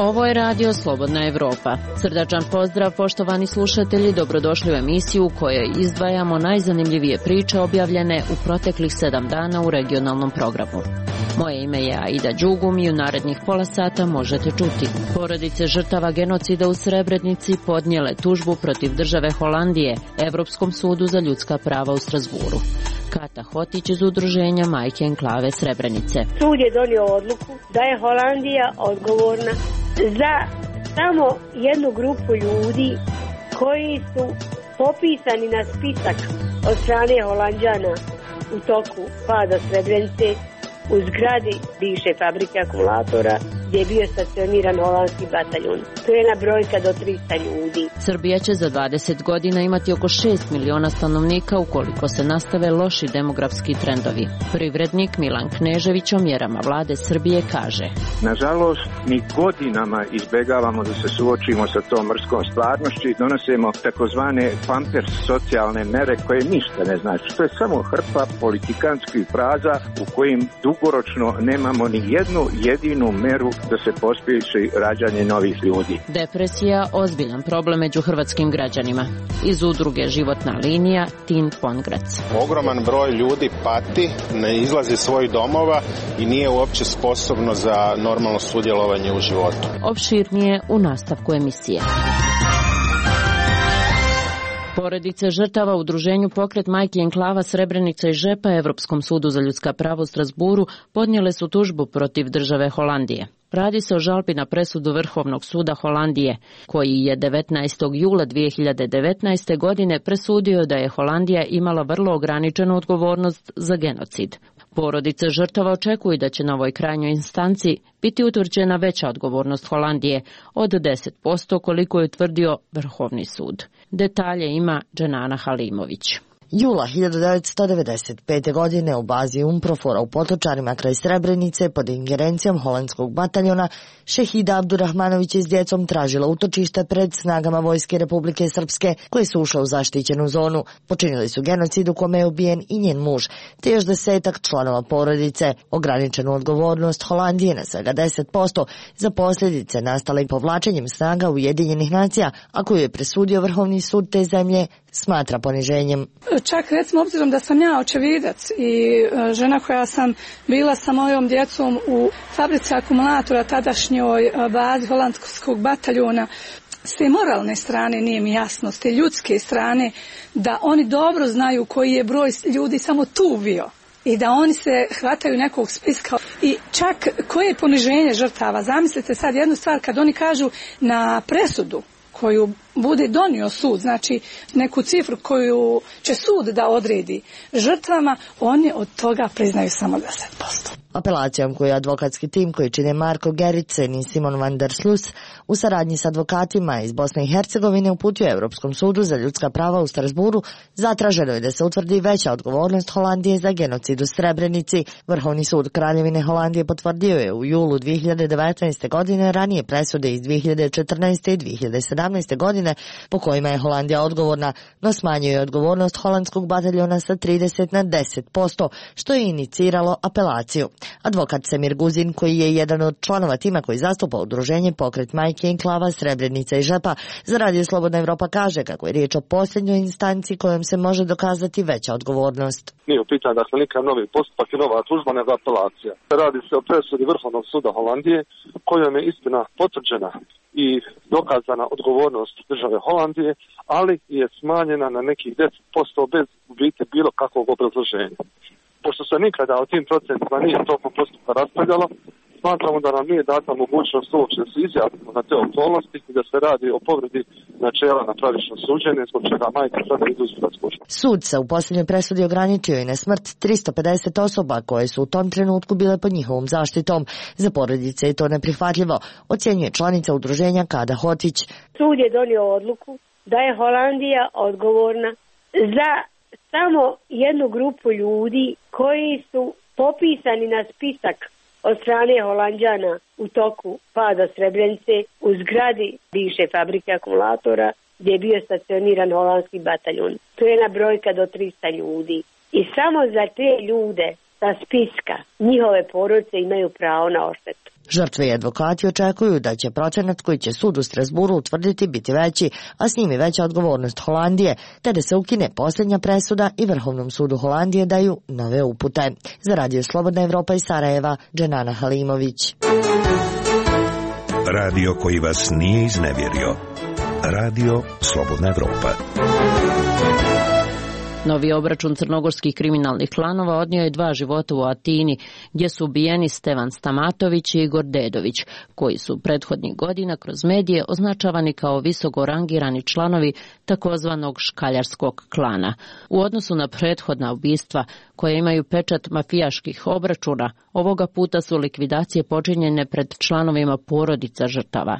Ovo je Radio Slobodna Evropa. Srdačan pozdrav, poštovani slušatelji, dobrodošli u emisiju u kojoj izdvajamo najzanimljivije priče objavljene u proteklih 7 dana u regionalnom programu. Moje ime je Aida Đugum i u narednih pola sata možete čuti. Porodice žrtava genocida u Srebrenici podnijele tužbu protiv države Holandije Evropskom sudu za ljudska prava u Strasburu. Kata Hotić iz udruženja Majke Enklave Srebrenice. Sud je donio odluku da je Holandija odgovorna za samo jednu grupu ljudi koji su popisani na spisak od strane Holanđana u toku pada Srebrenice u zgradi bivše fabrike akumulatora gdje je bio stacioniran holandski bataljon. To je jedna brojka do 300 ljudi. Srbija će za 20 godina imati oko 6 miliona stanovnika ukoliko se nastave loši demografski trendovi. Privrednik Milan Knežević o mjerama vlade Srbije kaže: Nažalost, mi godinama izbjegavamo da se suočimo sa tom mrskom stvarnošću i donosimo takozvane pampers socijalne mere koje ništa ne znači. To je samo hrpa politikanskih fraza u kojim dugoročno nemamo ni jednu jedinu meru da se pospješi rađanje novih ljudi. Depresija ozbiljan problem među hrvatskim građanima. Iz udruge Životna linija Tin Pongrac. Ogroman broj ljudi pati, ne izlazi iz svojih domova i nije uopće sposobno za normalno sudjelovanje u životu. Opširnije u nastavku emisije. Porodice žrtava u udruženju Pokret Majki Enklava Srebrenica i Žepa Evropskom sudu za ljudska prava u Strasburu podnijele su tužbu protiv države Holandije. Radi se o žalbi na presudu Vrhovnog suda Holandije, koji je 19. jula 2019. godine presudio da je Holandija imala vrlo ograničenu odgovornost za genocid. Porodice žrtava očekuju da će na ovoj krajnjoj instanci biti utvrđena veća odgovornost Holandije od 10% koliko je utvrdio Vrhovni sud. Detalje ima Dženana Halimović. Jula 1995. godine u bazi Umprofora u Potočarima kraj Srebrenice pod ingerencijom holandskog bataljona Šehida Abdurahmanović je s djecom tražila utočište pred snagama Vojske Republike Srpske koje su ušle u zaštićenu zonu. Počinili su genocid u kome je ubijen i njen muž, te još 10 članova porodice. Ograničenu odgovornost Holandije na svega 10% za posljedice nastale povlačenjem snaga Ujedinjenih nacija, a koju je presudio Vrhovni sud te zemlje, smatra poniženjem. Čak recimo obzirom da sam ja očevidac i žena koja sam bila sa mojom djecom u fabrici akumulatora tadašnjoj bazi holandskog bataljona, s te moralne strane nije mi jasno, s te ljudske strane da oni dobro znaju koji je broj ljudi samo tu bio i da oni se hvataju nekog spiska i čak koje je poniženje žrtava. Zamislite sad jednu stvar kad oni kažu na presudu koju bude donio sud, znači neku cifru koju će sud da odredi žrtvama, oni od toga priznaju samo 10%. Apelacijom koju je advokatski tim koji čine Marko Gericen i Simon van der Sluis u saradnji s advokatima iz Bosne i Hercegovine uputio Europskom sudu za ljudska prava u Strasburu, zatraženo je da se utvrdi veća odgovornost Holandije za genocid u Srebrenici. Vrhovni sud Kraljevine Holandije potvrdio je u julu 2019. godine ranije presude iz 2014. i 2017. godine po kojima je Holandija odgovorna, no smanjuje je odgovornost holandskog bataljona sa 30 na 10%, što je iniciralo apelaciju. Advokat Semir Guzin, koji je jedan od članova tima koji zastupa udruženje Pokret majke i enklava Srebrenica i Žepa, za Radio Slobodna Evropa kaže kako je riječ o posljednjoj instanci kojom se može dokazati veća odgovornost. Nije u pitanju dakle nikakav novi postupak i nova tužba, nego apelacija. Radi se o presudi Vrhovnog suda Holandije kojom je istina potvrđena i dokazana odgovornost države Holandije, ali je smanjena na nekih 10% bez biti bilo kakvog obrazloženja. Pošto se nikada o tim procentima nije tokom postupka raspravljalo, smatramo da nam nije data mogućnost uopće da se izjasnimo na te okolnosti i da se radi o povredi načela na pravično suđenje, zbog čega majke sada idu u sudačku. Sud se u posljednjoj presudi ograničio i na smrt 350 osoba koje su u tom trenutku bile pod njihovom zaštitom. Za porodice je to neprihvatljivo, ocjenjuje članica udruženja Kada Hotić. Sud je donio odluku da je Holandija odgovorna za samo jednu grupu ljudi koji su popisani na spisak od strane Holanđana u toku pada Srebrenice u zgradi bivše fabrike akumulatora gdje je bio stacioniran holandski bataljon. To je jedna brojka do 300 ljudi. I samo za te ljude sa spiska njihove porodice imaju pravo na odštetu. Žrtve i advokati očekuju da će procenat koji će sud u Strasburu utvrditi biti veći, a s njim i veća odgovornost Holandije, te da se ukine posljednja presuda i Vrhovnom sudu Holandije daju nove upute. Za Radio Slobodna Evropa iz Sarajeva, Dženana Halimović. Radio koji vas nije iznevjerio. Radio Slobodna Evropa. Novi obračun crnogorskih kriminalnih klanova odnio je 2 života u Atini, gdje su ubijeni Stevan Stamatović i Igor Dedović, koji su prethodnih godina kroz medije označavani kao visoko rangirani članovi takozvanog škaljarskog klana. U odnosu na prethodna ubistva, koje imaju pečat mafijaških obračuna, ovoga puta su likvidacije počinjene pred članovima porodica žrtava.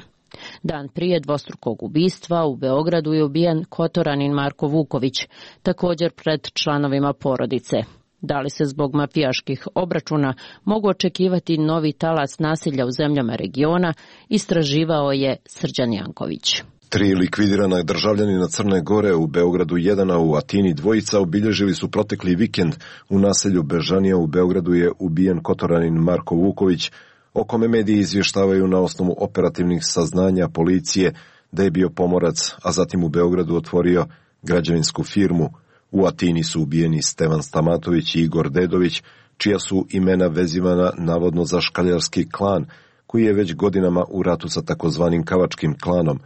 Dan prije dvostrukog ubistva u Beogradu je ubijen Kotoranin Marko Vuković, također pred članovima porodice. Da li se zbog mafijaških obračuna mogu očekivati novi talas nasilja u zemljama regiona, istraživao je Srđan Janković. 3 likvidirana državljanina Crne Gore, u Beogradu 1, a u Atini 2 obilježili su protekli vikend. U naselju Bežanija u Beogradu je ubijen Kotoranin Marko Vuković, o kome mediji izvještavaju na osnovu operativnih saznanja policije da je bio pomorac, a zatim u Beogradu otvorio građevinsku firmu. U Atini su ubijeni Stevan Stamatović i Igor Dedović, čija su imena vezivana navodno za škaljarski klan, koji je već godinama u ratu sa takozvanim kavačkim klanom.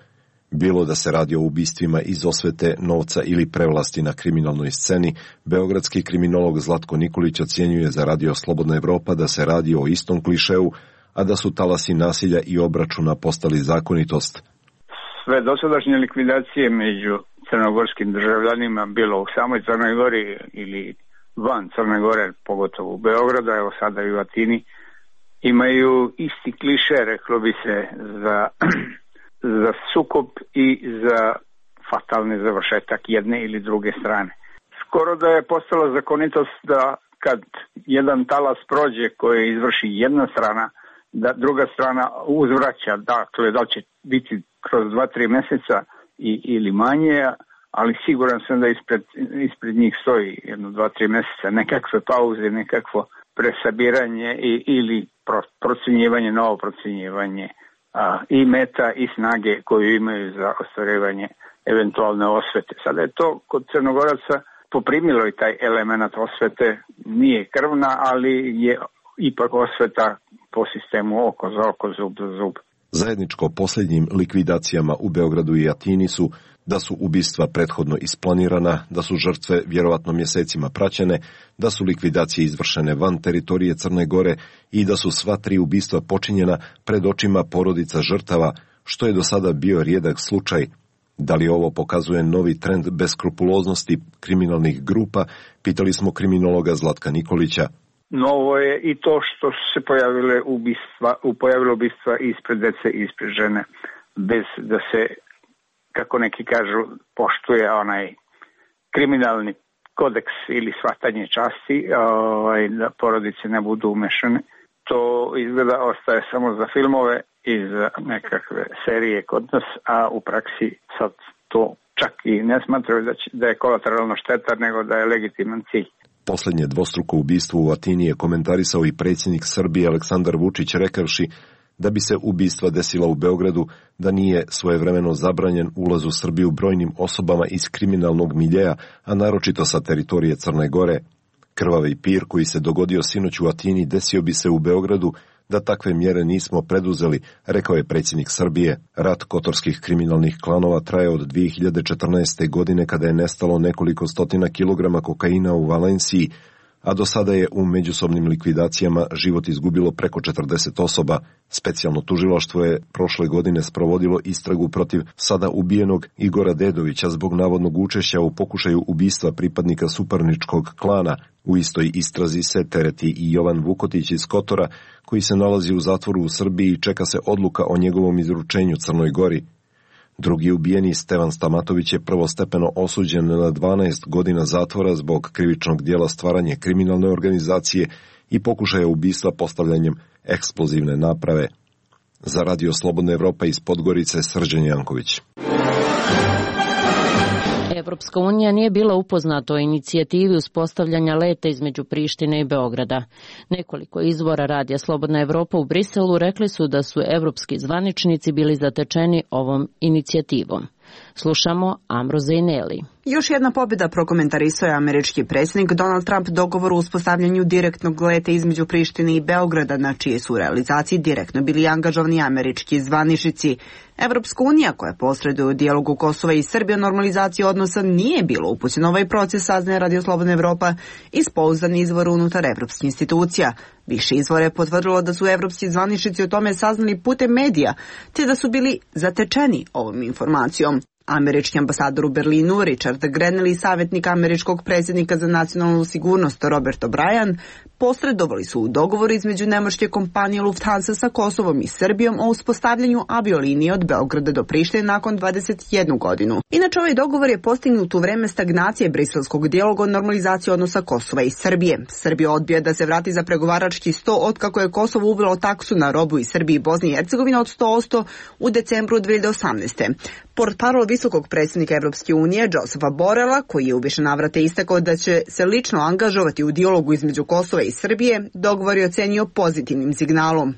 Bilo da se radi o ubistvima iz osvete, novca ili prevlasti na kriminalnoj sceni, beogradski kriminolog Zlatko Nikolić ocjenjuje za Radio Slobodna Evropa da se radi o istom klišeu, a da su talasi nasilja i obračuna postali zakonitost. Sve dosadašnje likvidacije među crnogorskim državljanima, bilo u samoj Crnoj Gori ili van Crne Gore, pogotovo u Beogradu, evo sada i u Atini, imaju isti kliše, reklo bi se, za sukob i za fatalni završetak jedne ili druge strane. Skoro da je postala zakonitost da kad jedan talas prođe koji izvrši jedna strana, da druga strana uzvraća, dakle da će biti kroz 2-3 mjeseca ili manje, ali siguran sam da ispred njih stoji 1-2-3 mjeseca nekakve pauze, nekakvo presabiranje ili procjenjivanje, novo procjenjivanje i meta i snage koju imaju za ostvarivanje eventualne osvete. Sada je to kod Crnogoraca poprimilo i taj element osvete, nije krvna, ali je ipak osveta po sistemu oko za oko, zub za zub. Zajedničko posljednjim likvidacijama u Beogradu i Atini su da su ubistva prethodno isplanirana, da su žrtve vjerovatno mjesecima praćene, da su likvidacije izvršene van teritorije Crne Gore i da su sva 3 ubistva počinjena pred očima porodica žrtava, što je do sada bio rijedak slučaj. Da li ovo pokazuje novi trend beskrupuloznosti kriminalnih grupa, pitali smo kriminologa Zlatka Nikolića. Novo je i to što su se pojavilo ubistva ispred dece i ispred žene, bez da se, kako neki kažu, poštuje onaj kriminalni kodeks ili shvatanje časti, da porodice ne budu umešane. To izgleda ostaje samo za filmove i za nekakve serije kod nas, a u praksi sad to čak i ne smatraju da je kolateralna šteta, nego da je legitiman cilj. Posljednje dvostruko ubistvo u Atini je komentarisao i predsjednik Srbije Aleksandar Vučić rekavši da bi se ubistva desila u Beogradu da nije svojevremeno zabranjen ulaz u Srbiju brojnim osobama iz kriminalnog miljeja, a naročito sa teritorije Crne Gore. Krvavi pir koji se dogodio sinoć u Atini desio bi se u Beogradu da takve mjere nismo preduzeli, rekao je predsjednik Srbije. Rat kotorskih kriminalnih klanova traje od 2014. godine kada je nestalo nekoliko stotina kilograma kokaina u Valenciji, a do sada je u međusobnim likvidacijama život izgubilo preko 40 osoba. Specijalno tužilaštvo je prošle godine sprovodilo istragu protiv sada ubijenog Igora Dedovića zbog navodnog učešća u pokušaju ubistva pripadnika suparničkog klana. U istoj istrazi se tereti i Jovan Vukotić iz Kotora, koji se nalazi u zatvoru u Srbiji i čeka se odluka o njegovom izručenju Crnoj Gori. Drugi ubijeni, Stevan Stamatović, je prvostepeno osuđen na 12 godina zatvora zbog krivičnog dijela stvaranje kriminalne organizacije i pokušaja ubistva postavljanjem eksplozivne naprave. Za Radio Slobodna Evropa iz Podgorice, Srđan Janković. Evropska unija nije bila upoznata o inicijativi uspostavljanja leta između Prištine i Beograda. Nekoliko izvora Radija Slobodna Evropa u Briselu rekli su da su evropski zvaničnici bili zatečeni ovom inicijativom. Slušamo Amro Zejneli. Još jedna pobjeda, prokomentarisao je američki predsjednik Donald Trump dogovor o uspostavljanju direktnog leta između Prištine i Beograda, na čije su realizaciji direktno bili angažovani američki zvaničnici. Evropska unija, koja posreduje u dijalogu Kosova i Srbije o normalizaciji odnosa, nije bilo upućena ovaj proces, saznaje Radio Slobodna Evropa iz pouzdanih izvora unutar evropskih institucija. Više izvora je potvrdilo da su evropski zvaničnici o tome saznali putem medija, te da su bili zatečeni ovom informacijom. Američki ambasador u Berlinu Richard Grenell i savjetnik američkog predsjednika za nacionalnu sigurnost Robert O'Brien posredovali su u dogovoru između nemačke kompanije Lufthansa sa Kosovom i Srbijom o uspostavljanju aviolinije od Beograda do Prištine nakon 21 godinu. Inače, ovaj dogovor je postignut u vreme stagnacije briselskog dijaloga o normalizaciji odnosa Kosova i Srbije. Srbija odbija da se vrati za pregovarački sto otkako je Kosovo uvelo taksu na robu iz Srbije i Bosne i Hercegovine od 100% u decembru 2018. Portparol visokog predsjednika Evropske unije Josefa Borela, koji je u više navrata istakao da će se lično angažovati u dijalogu između Kosova i Srbije, dogovor je ocenio pozitivnim signalom.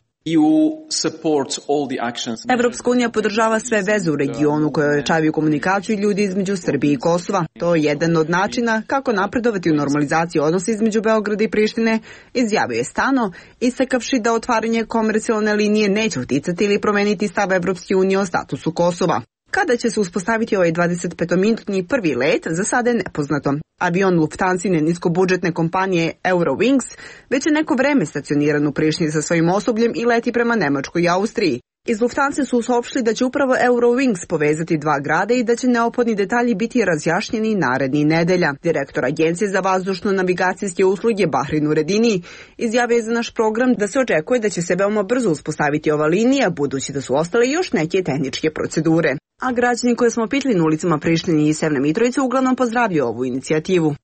Evropska unija podržava sve veze u regionu koje ojačavaju komunikaciju ljudi između Srbije i Kosova. To je jedan od načina kako napredovati u normalizaciji odnosa između Beograda i Prištine, izjavio je Stano, istakavši da otvaranje komercijalne linije neće uticati ili promeniti stav Evropske unije o statusu Kosova. Kada će se uspostaviti ovaj 25-minutni prvi let, za sada je nepoznato. Avion Lufthansine niskobudžetne kompanije Eurowings već je neko vreme stacioniran u Prištini sa svojim osobljem i leti prema Nemačkoj i Austriji. Iz Lufthansa su saopštili da će upravo Eurowings povezati dva grada i da će neophodni detalji biti razjašnjeni narednih nedelja. Direktor Agencije za vazdušno-navigacijske usluge Bahrin Nuredini izjavio je za naš program da se očekuje da će se veoma brzo uspostaviti ova linija, budući da su ostale još neke tehničke procedure. A građani koje smo pitali na ulicama Prištine i Severne Mitrovice uglavnom pozdravljaju ovu inicijativu.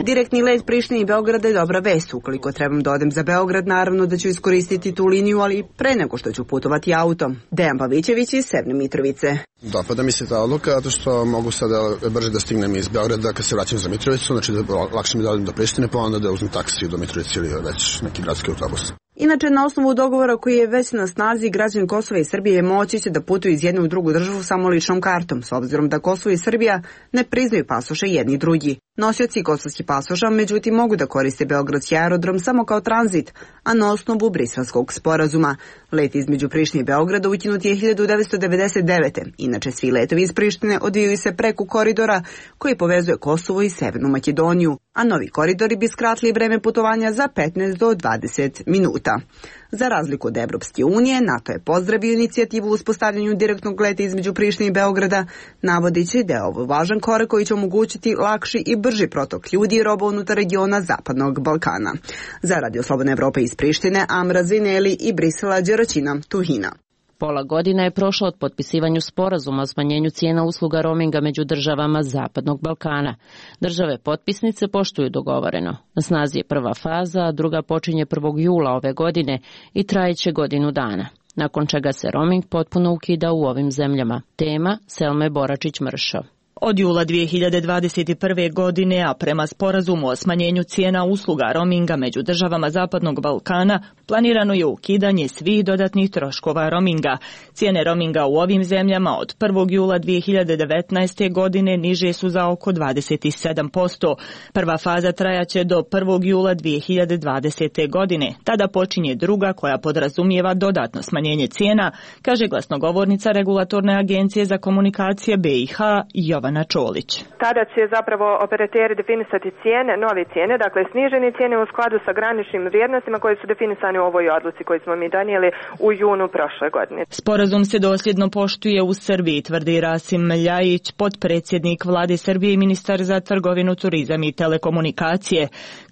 Direktni let Prištine i Beograda je dobra vest. Ukoliko trebam da odem za Beograd, naravno da ću iskoristiti tu liniju, ali pre nego što ću putovati autom. Dejan Pavićević iz Severne Mitrovice. Dopada mi se ta odluka, zato što mogu sada brže da stignem iz Beograda kad se vraćam za Mitrovicu, znači da lakše mi da odem do Prištine, pa onda da uzmem taksi do Mitrovice ili već neki gradski autobus. Inače, na osnovu dogovora koji je već na snazi, građani Kosova i Srbije moći će da putuju iz jedne u drugu državu samo ličnom kartom, s obzirom da Kosovo i Srbija ne priznaju pasoše jedni i drugi. Nosioci kosovskih pasoša, međutim, mogu da koriste beogradski aerodrom samo kao tranzit, a na osnovu Briselskog sporazuma. Let između Prištine i Beograda ukinut je 1999. Inače, svi letovi iz Prištine odvijaju se preko koridora koji povezuje Kosovo i Severnu Makedoniju, a novi koridori bi skratili vreme putovanja za 15 do 20 minuta. Za razliku od Evropske unije, NATO je pozdravio inicijativu u uspostavljanju direktnog leta između Prištine i Beograda, navodeći da je ovo važan korak koji će omogućiti lakši i brži protok ljudi i roba unutar regiona Zapadnog Balkana. Za Radio Slobodna Evropa iz Prištine, Amra Zineli i Brisela Đeraćina Tuhina. Pola godina je prošlo od potpisivanju sporazuma o smanjenju cijena usluga roaminga među državama Zapadnog Balkana. Države potpisnice poštuju dogovoreno. Na snazi je prva faza, a druga počinje 1. jula ove godine i trajeće godinu dana, nakon čega se roaming potpuno ukida u ovim zemljama. Tema Selme Boračić-Mršo. Od jula 2021. godine, a prema sporazumu o smanjenju cijena usluga roaminga među državama Zapadnog Balkana, planirano je ukidanje svih dodatnih troškova roaminga. Cijene roaminga u ovim zemljama od 1. jula 2019. godine niže su za oko 27%. Prva faza trajaće do 1. jula 2020. godine. Tada počinje druga koja podrazumijeva dodatno smanjenje cijena, kaže glasnogovornica Regulatorne agencije za komunikacije BiH Jovana Čolić. Tada će zapravo operateri definisati cijene, nove cijene, dakle snižene cijene u skladu sa graničnim vrijednostima koje su definisane u ovoj odluci koju smo mi donijeli u junu prošle godine. Sporazum se dosljedno poštuje u Srbiji, tvrdi Rasim Ljajić, potpredsjednik Vlade Srbije i ministar za trgovinu, turizam i telekomunikacije.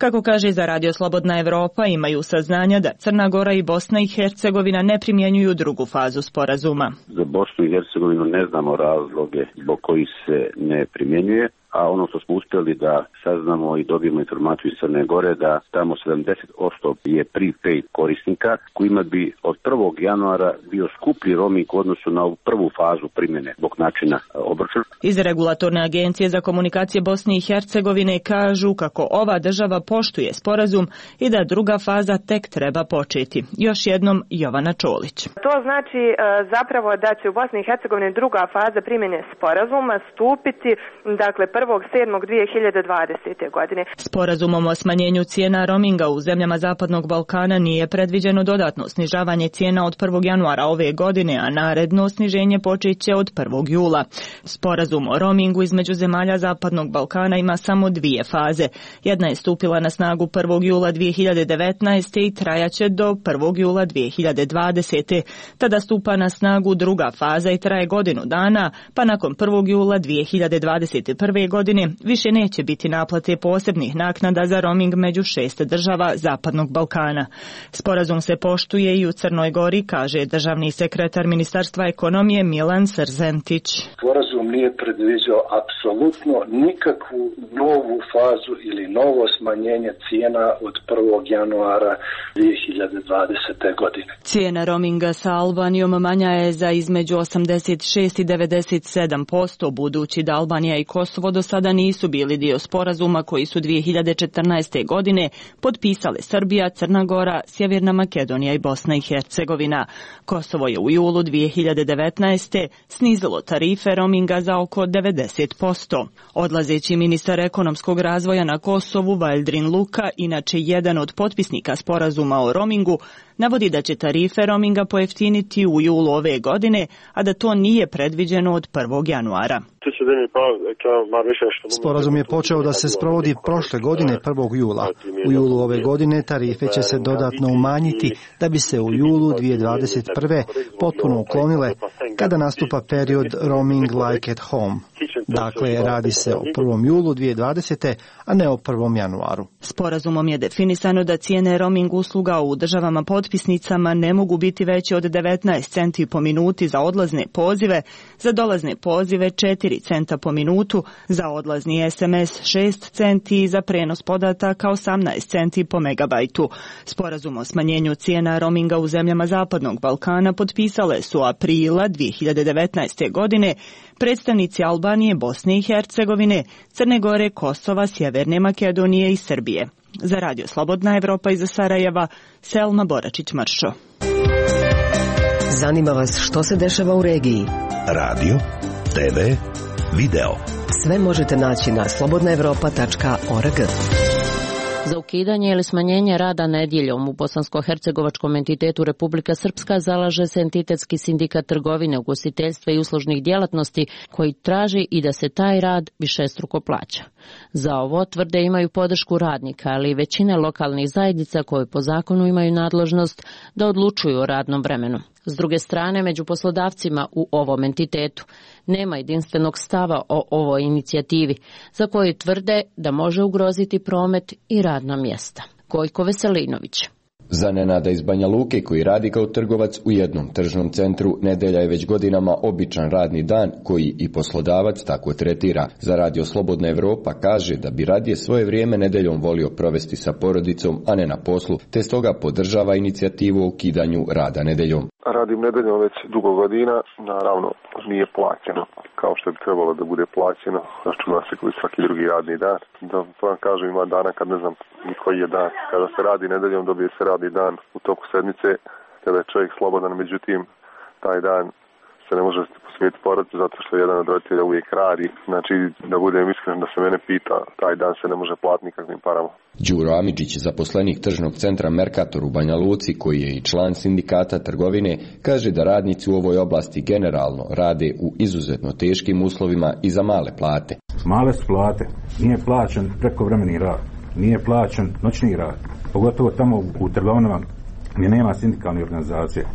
Kako kaže za Radio Slobodna Evropa, imaju saznanja da Crna Gora i Bosna i Hercegovina ne primjenjuju drugu fazu sporazuma. Za Bosnu i Hercegovinu ne znamo razloge zbog kojih se ne primjenjuje, a ono što smo uspjeli da saznamo i dobijemo informaciju iz Crne Gore da tamo 70% je prepaid korisnika kojima bi od 1. januara bio skuplji roaming u odnosu na ovu prvu fazu primjene zbog načina obračuna. Iz Regulatorne agencije za komunikacije Bosne i Hercegovine kažu kako ova država poštuje sporazum i da druga faza tek treba početi. Još jednom Jovana Čolić. To znači zapravo da će u Bosni i Hercegovini druga faza primjene sporazuma stupiti, dakle 1.7.2020. godine. Sporazumom o smanjenju cijena roaminga u zemljama Zapadnog Balkana nije predviđeno dodatno snižavanje cijena od 1. januara ove godine, a naredno sniženje počeće od 1. jula. Sporazum o roamingu između zemalja Zapadnog Balkana ima samo dvije faze. Jedna je stupila na snagu 1. jula 2019. i trajaće do 1. jula 2020. Tada stupa na snagu druga faza i traje godinu dana, pa nakon 1. jula 2021. godine više neće biti naplate posebnih naknada za roaming među 6 država Zapadnog Balkana. Sporazum se poštuje i u Crnoj Gori, kaže državni sekretar Ministarstva ekonomije Milan Srzentić. Sporazum nije predviđao apsolutno nikakvu novu fazu ili novo smanjenje cijena od 1. januara 2020. godine. Cijena roaminga sa Albanijom manja je za između 86 i 97%, budući da Albanija i Kosovo do sada nisu bili dio sporazuma koji su 2014. godine potpisale Srbija, Crna Gora, Sjeverna Makedonija i Bosna i Hercegovina. Kosovo je u julu 2019. snizilo tarife roaminga za oko 90%. Odlazeći ministar ekonomskog razvoja na Kosovu, Valdrin Luka, inače jedan od potpisnika sporazuma o roamingu, navodi da će tarife roaminga pojeftiniti u julu ove godine, a da to nije predviđeno od 1. januara. Sporazum je počeo da se sprovodi prošle godine 1. jula. U julu ove godine tarife će se dodatno umanjiti da bi se u julu 2021. potpuno uklonile kada nastupa period roaming like at home. Dakle, radi se o 1. julu 2020. a ne o 1. januaru. Sporazumom je definisano da cijene roaming usluga u državama potpisnicama ne mogu biti veće od 19 centi po minuti za odlazne pozive, za dolazne pozive 4 centa po minutu, za odlazni SMS 6 centi i za prenos podataka 18 centi po megabajtu. Sporazum o smanjenju cijena roaminga u zemljama Zapadnog Balkana potpisale su aprila 2019. godine predstavnici Albanije, Bosne i Hercegovine, Crne Gore, Kosova, Sjeverne Makedonije i Srbije. Za Radio Slobodna Evropa iz Sarajeva, Selma Boračić-Mršo. Zanima vas što se dešava u regiji? Radio, TV, video. Sve možete naći na slobodnaevropa.org. Za ukidanje ili smanjenje rada nedjeljom u bosansko-hercegovačkom entitetu Republika Srpska zalaže se entitetski sindikat trgovine, ugostiteljstva i uslužnih djelatnosti koji traži i da se taj rad višestruko plaća. Za ovo tvrde imaju podršku radnika, ali i većine lokalnih zajednica koje po zakonu imaju nadležnost da odlučuju o radnom vremenu. S druge strane, među poslodavcima u ovom entitetu nema jedinstvenog stava o ovoj inicijativi, za koju tvrde da može ugroziti promet i radna mjesta. Gojko Veselinović. Za Nenada iz Banja Luke, koji radi kao trgovac u jednom tržnom centru, nedelja je već godinama običan radni dan koji i poslodavac tako tretira. Za Radio Slobodna Evropa kaže da bi radije svoje vrijeme nedeljom volio provesti sa porodicom, a ne na poslu, te stoga podržava inicijativu o ukidanju rada nedeljom. Radim nedeljom već dugo godina, naravno nije plaćeno kao što bi trebalo da bude plaćeno, računa se koji svaki drugi radni dan. Da vam kažem, ima dana kad ne znam koji je dan. Kada se radi nedeljom dobije se radni dan u toku sedmice, kada je čovjek slobodan, međutim taj dan se ne može posvetiti porodici zato što jedan od roditelja uvijek radi. Znači, da budem iskren, da se mene pita, taj dan se ne može platiti nikakvim parama. Đuro Amidžić, zaposlenik tržnog centra Mercator u Banja Luci, koji je i član sindikata trgovine, kaže da radnici u ovoj oblasti generalno rade u izuzetno teškim uslovima i za male plate. Male su plate, nije plaćen prekovremeni rad, nije plaćen noćni rad, pogotovo tamo u trgovinama gdje nema sindikalne organizacije.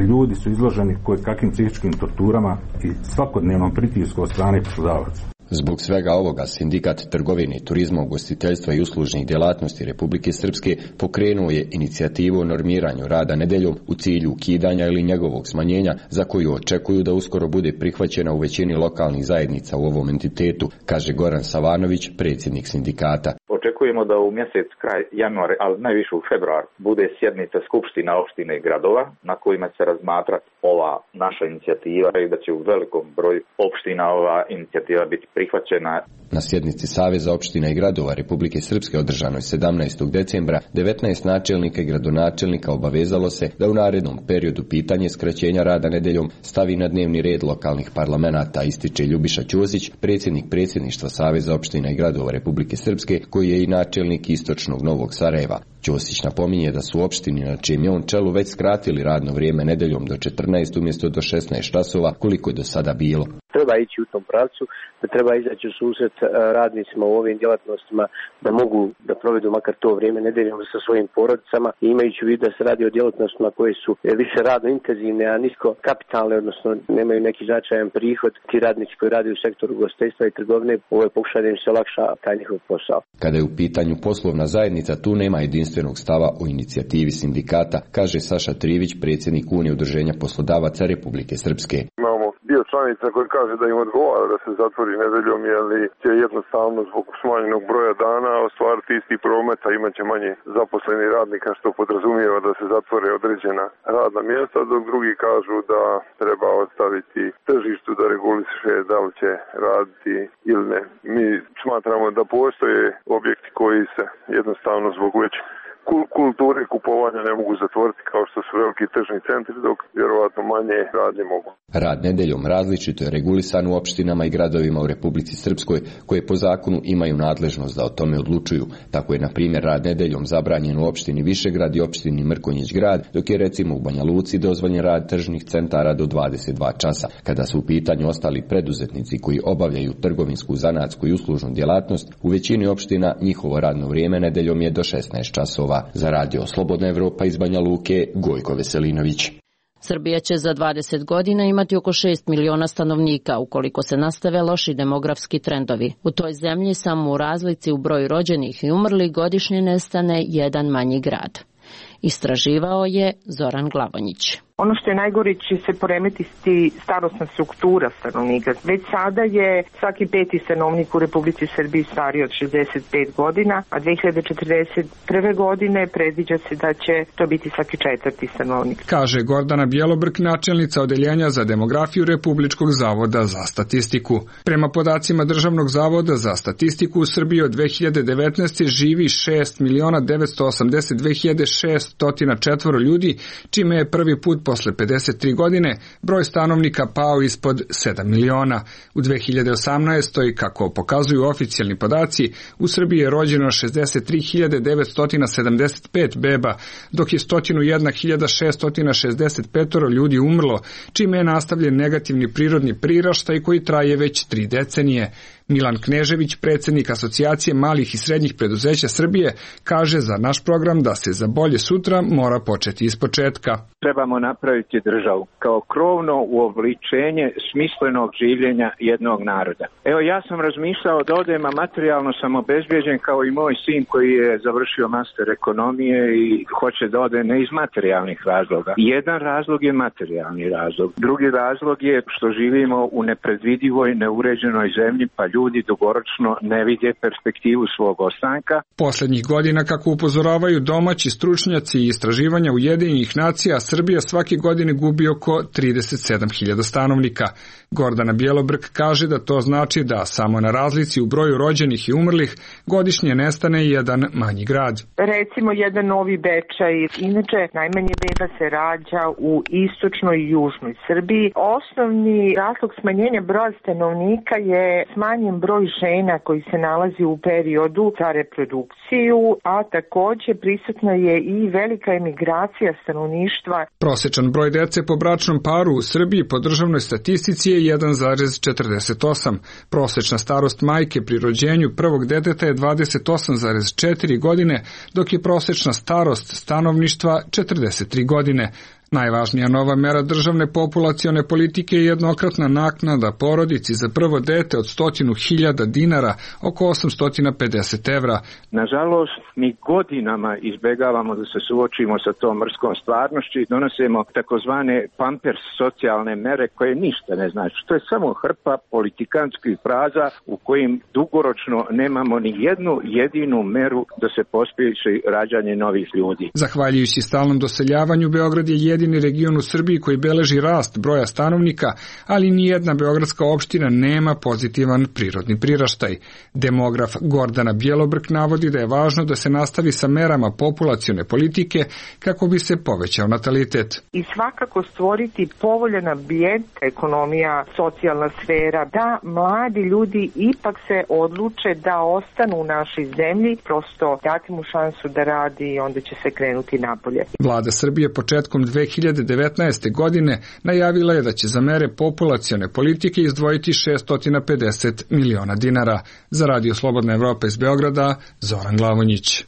Ljudi su izloženi kakvim psihičkim torturama i svakodnevnom pritisku od strane poslodavaca. Zbog svega ovoga, Sindikat trgovine, turizma, ugostiteljstva i uslužnih djelatnosti Republike Srpske pokrenuo je inicijativu o normiranju rada nedeljom u cilju ukidanja ili njegovog smanjenja, za koju očekuju da uskoro bude prihvaćena u većini lokalnih zajednica u ovom entitetu, kaže Goran Savanović, predsjednik sindikata. Očekujemo da u mjesec kraj januara, ali najviše u februar, bude sjednica skupština opštine i gradova na kojima će se razmatrati ova naša inicijativa i da će u velikom broju opština ova inicijativa biti prihvaćena. Na sjednici Saveza opština i gradova Republike Srpske održanoj 17. decembra 19 načelnika i gradonačelnika obavezalo se da u narednom periodu pitanje skraćenja rada nedeljom stavi na dnevni red lokalnih parlamenata, ističe Ljubiša Ćosić, predsjednik predsjedništva Saveza opština i gradova Republike Srpske, koji je i načelnik istočnog Novog Sarajeva. Ćosić napominje da su opštini na čijem je on čelu već skratili radno vrijeme nedeljom do 14 umjesto do 16 časova, koliko je do sada bilo. Treba ići u tom pravcu, da treba izaći u susret radnicima u ovim djelatnostima da mogu da provedu makar to vrijeme nedeljom sa svojim porodicama, i imajući u vidu da se radi o djelatnostima koje su više radno intenzivne, a nisko kapitalne, odnosno nemaju neki značajan prihod. Ti radnici koji rade u sektoru ugostiteljstva i trgovine, ovo je pokušaj da im se olakša taj njihov posao. Kada je u pitanju poslovna zajednica, tu nema jedinstvenog stava o inicijativi sindikata, kaže Saša Trivić, predsjednik Unije udruženja poslodavaca Republike Srpske. Dio članica koji kaže da im odgovara da se zatvori nedeljom, jer će jednostavno zbog smanjenog broja dana ostvariti isti promet, a imat će manje zaposlenih radnika, što podrazumijeva da se zatvore određena radna mjesta, dok drugi kažu da treba ostaviti tržištu da reguliše da li će raditi ili ne. Mi smatramo da postoje objekti koji se jednostavno zbog već kulture kupovanja ne mogu zatvoriti kao što su veliki tržni centri, dok vjerovatno manje radnje mogu. Rad nedeljom različito je regulisan u opštinama i gradovima u Republici Srpskoj, koje po zakonu imaju nadležnost da o tome odlučuju. Tako je, na primjer, rad nedeljom zabranjen u opštini Višegrad i opštini Mrkonjić Grad, dok je recimo u Banja Luci dozvoljen rad tržnih centara do 22 časa. Kada su u pitanju ostali preduzetnici koji obavljaju trgovinsku, zanatsku i uslužnu djelatnost, u većini opština njihovo radno vrijeme nedeljom je do 16 časova. Za Radio Slobodna Evropa iz Banja Luke, Gojko Veselinović. Srbija će za 20 godina imati oko 6 miliona stanovnika ukoliko se nastave loši demografski trendovi. U toj zemlji samo u razlici u broju rođenih i umrlih godišnje nestane jedan manji grad. Istraživao je Zoran Glavonjić. Ono što je najgore, će se poremetiti starosna struktura stanovnika. Već sada je svaki peti stanovnik u Republici Srbiji stariji od 65 godina, a 2041. godine predviđa se da će to biti svaki četvrti stanovnik. Kaže Gordana Bjelobrk, načelnica odeljenja za demografiju Republičkog zavoda za statistiku. Prema podacima Državnog zavoda za statistiku, u Srbiji od 2019. živi 6.982.604 ljudi, čime je prvi put posle 53 godine broj stanovnika pao ispod 7 miliona. U 2018. kako pokazuju oficijalni podaci, u Srbiji je rođeno 63.975 beba, dok je 101.665 ljudi umrlo, čime je nastavljen negativni prirodni priraštaj koji traje već 3 decenije. Milan Knežević, predsjednik Asocijacije malih i srednjih preduzeća Srbije, kaže za naš program da se za bolje sutra mora početi ispočetka. Trebamo napraviti državu kao krovno uobličenje smislenog življenja jednog naroda. Evo, ja sam razmišljao da odem, a materijalno sam obezbijeđen kao i moj sin koji je završio master ekonomije i hoće da ode ne iz materijalnih razloga. Jedan razlog je materijalni razlog. Drugi razlog je što živimo u nepredvidivoj, neuređenoj zemlji, pa ljudi dugoročno ne vide perspektivu svog ostanka. Posljednjih godina, kako upozoravaju domaći stručnjaci i istraživanja Ujedinjenih nacija, Srbija svake godine gubi oko 37.000 stanovnika. Gordana Bjelobrk kaže da to znači da samo na razlici u broju rođenih i umrlih godišnje nestane jedan manji grad. Recimo jedan Novi Bečaj. Inače, najmanje beba se rađa u istočnoj i južnoj Srbiji. Osnovni razlog smanjenja broja stanovnika je smanjen broj žena koji se nalazi u periodu za reprodukciju, a također prisutna je i velika emigracija stanovništva. Prosječan broj dece po bračnom paru u Srbiji po državnoj statistici je 1,48. Prosječna starost majke pri rođenju prvog deteta je 28,4 godine, dok je prosječna starost stanovništva 43 godine. Najvažnija nova mera državne populacione politike je jednokratna naknada porodici za prvo dete od 100.000 dinara, oko 850 evra. Nažalost, mi godinama izbjegavamo da se suočimo sa tom mrskom stvarnošću i donosimo takozvane pampers socijalne mere koje ništa ne znači. To je samo hrpa politikanskih fraza u kojim dugoročno nemamo ni jednu jedinu meru da se pospješi rađanje novih ljudi. Zahvaljujući stalnom doseljavanju, Beograd je jedini region u Srbiji koji beleži rast broja stanovnika, ali nijedna beogradska opština nema pozitivan prirodni priraštaj. Demograf Gordana Bjelobrk navodi da je važno da se nastavi sa merama populacione politike kako bi se povećao natalitet. I svakako stvoriti povoljan ambijent, ekonomija, socijalna sfera, da mladi ljudi ipak se odluče da ostanu u našoj zemlji, prosto dati mu šansu da radi i onda će se krenuti napolje. Vlada Srbije početkom 2019. godine najavila je da će za mere populacione politike izdvojiti 650 miliona dinara. Za Radio Slobodna Evropa iz Beograda, Zoran Glavonjić.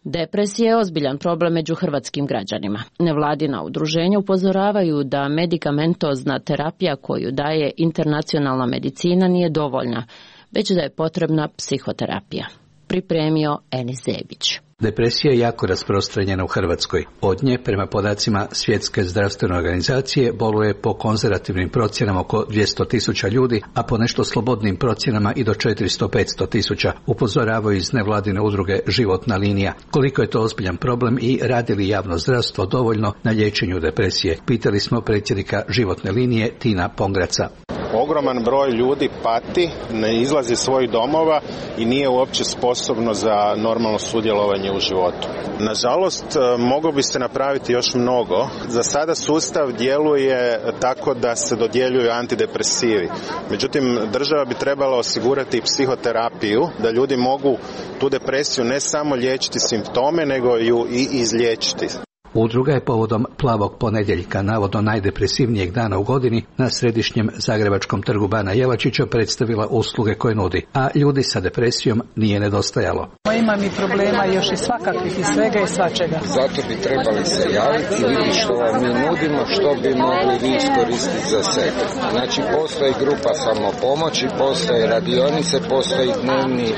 Depresija je ozbiljan problem među hrvatskim građanima. Nevladina udruženja upozoravaju da medikamentozna terapija koju daje internacionalna medicina nije dovoljna, već da je potrebna psihoterapija. Pripremio Enis Zebić. Depresija je jako rasprostranjena u Hrvatskoj. Od nje, prema podacima Svjetske zdravstvene organizacije, boluje po konzervativnim procjenama oko 200.000 ljudi, a po nešto slobodnim procjenama i do 400-500.000, upozoravaju iz nevladine udruge Životna linija. Koliko je to ozbiljan problem i radi li javno zdravstvo dovoljno na liječenju depresije? Pitali smo predsjednika Životne linije Tina Pongraca. Ogroman broj ljudi pati, ne izlazi iz svojih domova i nije uopće sposobno za normalno sudjelovanje u životu. Nažalost, moglo bi se napraviti još mnogo. Za sada sustav djeluje tako da se dodjeljuju antidepresivi. Međutim, država bi trebala osigurati psihoterapiju, da ljudi mogu tu depresiju ne samo liječiti simptome, nego ju i izliječiti. Udruga je povodom Plavog ponedjeljka, navodno najdepresivnijeg dana u godini, na središnjem zagrebačkom trgu Bana Jelačića predstavila usluge koje nudi, a ljudi sa depresijom nije nedostajalo. Imam i problema još i svakakvih i svega i svačega. Zato bi trebali se javiti i vidjeti što vam mi nudimo, što bi mogli vi iskoristiti za sebe. Znači, postoji grupa samopomoći, postoje radionice, postoji dnevni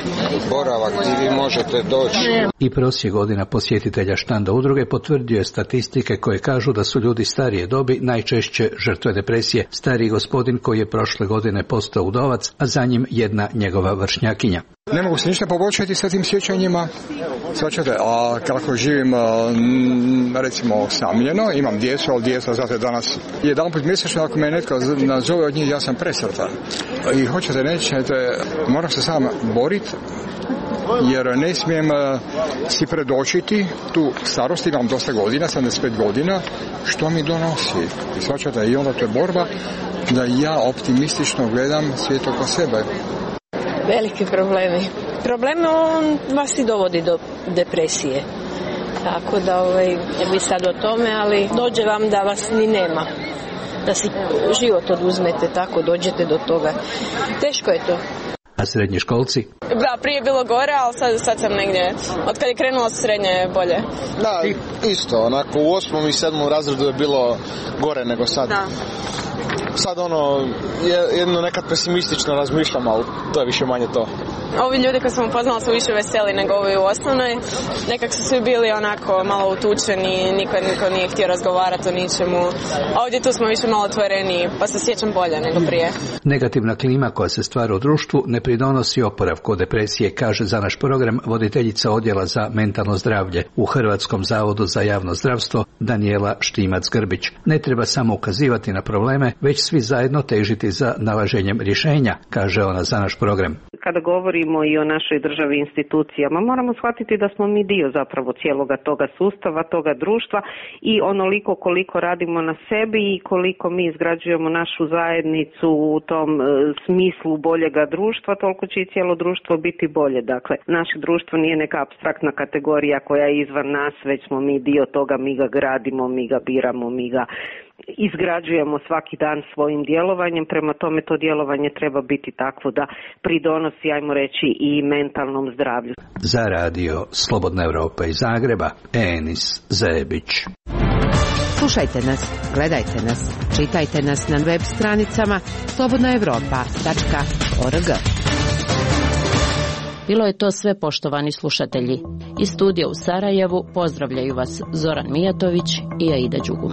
boravak gdje vi možete doći. I prosjek godina posjetitelja štanda udruge potvrdio statistike koje kažu da su ljudi starije dobi najčešće žrtve depresije. Stariji gospodin koji je prošle godine postao udovac, a za njim jedna njegova vršnjakinja. Ne mogu se ništa poboljšati sa tim sjećanjima, svačate, a kako živim recimo osamljeno, imam djecu, ali djeca znate danas jedanput mjesečno ako me netko nazove od njih, ja sam presretan. I hoćete nećete, moram se sam boriti, jer ne smijem si predočiti tu starost, imam dosta godina, 75 godina, što mi donosi. Svačate, i onda to je borba da ja optimistično gledam svijet oko sebe. Veliki problemi. Problem on vas i dovodi do depresije. Tako da ne bi sad o tome, ali dođe vam da vas ni nema. da si život oduzmete, tako dođete do toga. Teško je to. A srednjoškolci? Da, prije je bilo gore, ali sad sam negdje, od kad je krenulo srednje bolje. Da, isto, onako u 8. i 7. razredu je bilo gore nego sad. Da. Sad jedno nekad pesimistično razmišljam, ali to je više manje to. Ovi ljudi koji sam upoznala su više veseli nego ovi u osnovnoj. Nekak su svi bili onako malo utučeni, niko nije htio razgovarati o ničemu. Ovdje tu smo više malo otvoreni, pa se sjećam bolje nego prije. Negativna klima koja se stvara u društvu ne pridonosi oporavku od depresije, kaže za naš program voditeljica odjela za mentalno zdravlje u Hrvatskom zavodu za javno zdravstvo Danijela Štimac-Grbić. Ne treba samo ukazivati na probleme, već svi zajedno težiti za nalaženjem rješenja, kaže ona za naš program. Kada govorimo i o našoj državi i institucijama, moramo shvatiti da smo mi dio zapravo cijeloga toga sustava, toga društva i onoliko koliko radimo na sebi i koliko mi izgrađujemo našu zajednicu u tom smislu boljega društva, toliko će i cijelo društvo biti bolje. Dakle, naše društvo nije neka apstraktna kategorija koja je izvan nas, već smo mi dio toga, mi ga gradimo, mi ga biramo, mi ga izgrađujemo svaki dan svojim djelovanjem, prema tome to djelovanje treba biti takvo da pridonosi, ajmo reći, i mentalnom zdravlju. Za radio Slobodna Europa iz Zagreba, Enis Zebić. Slušajte nas, gledajte nas, čitajte nas na web stranicama slobodnaevropa.org. Bilo je to sve, poštovani slušatelji. Iz studija u Sarajevu pozdravljaju vas Zoran Mijatović i Aida Đugum.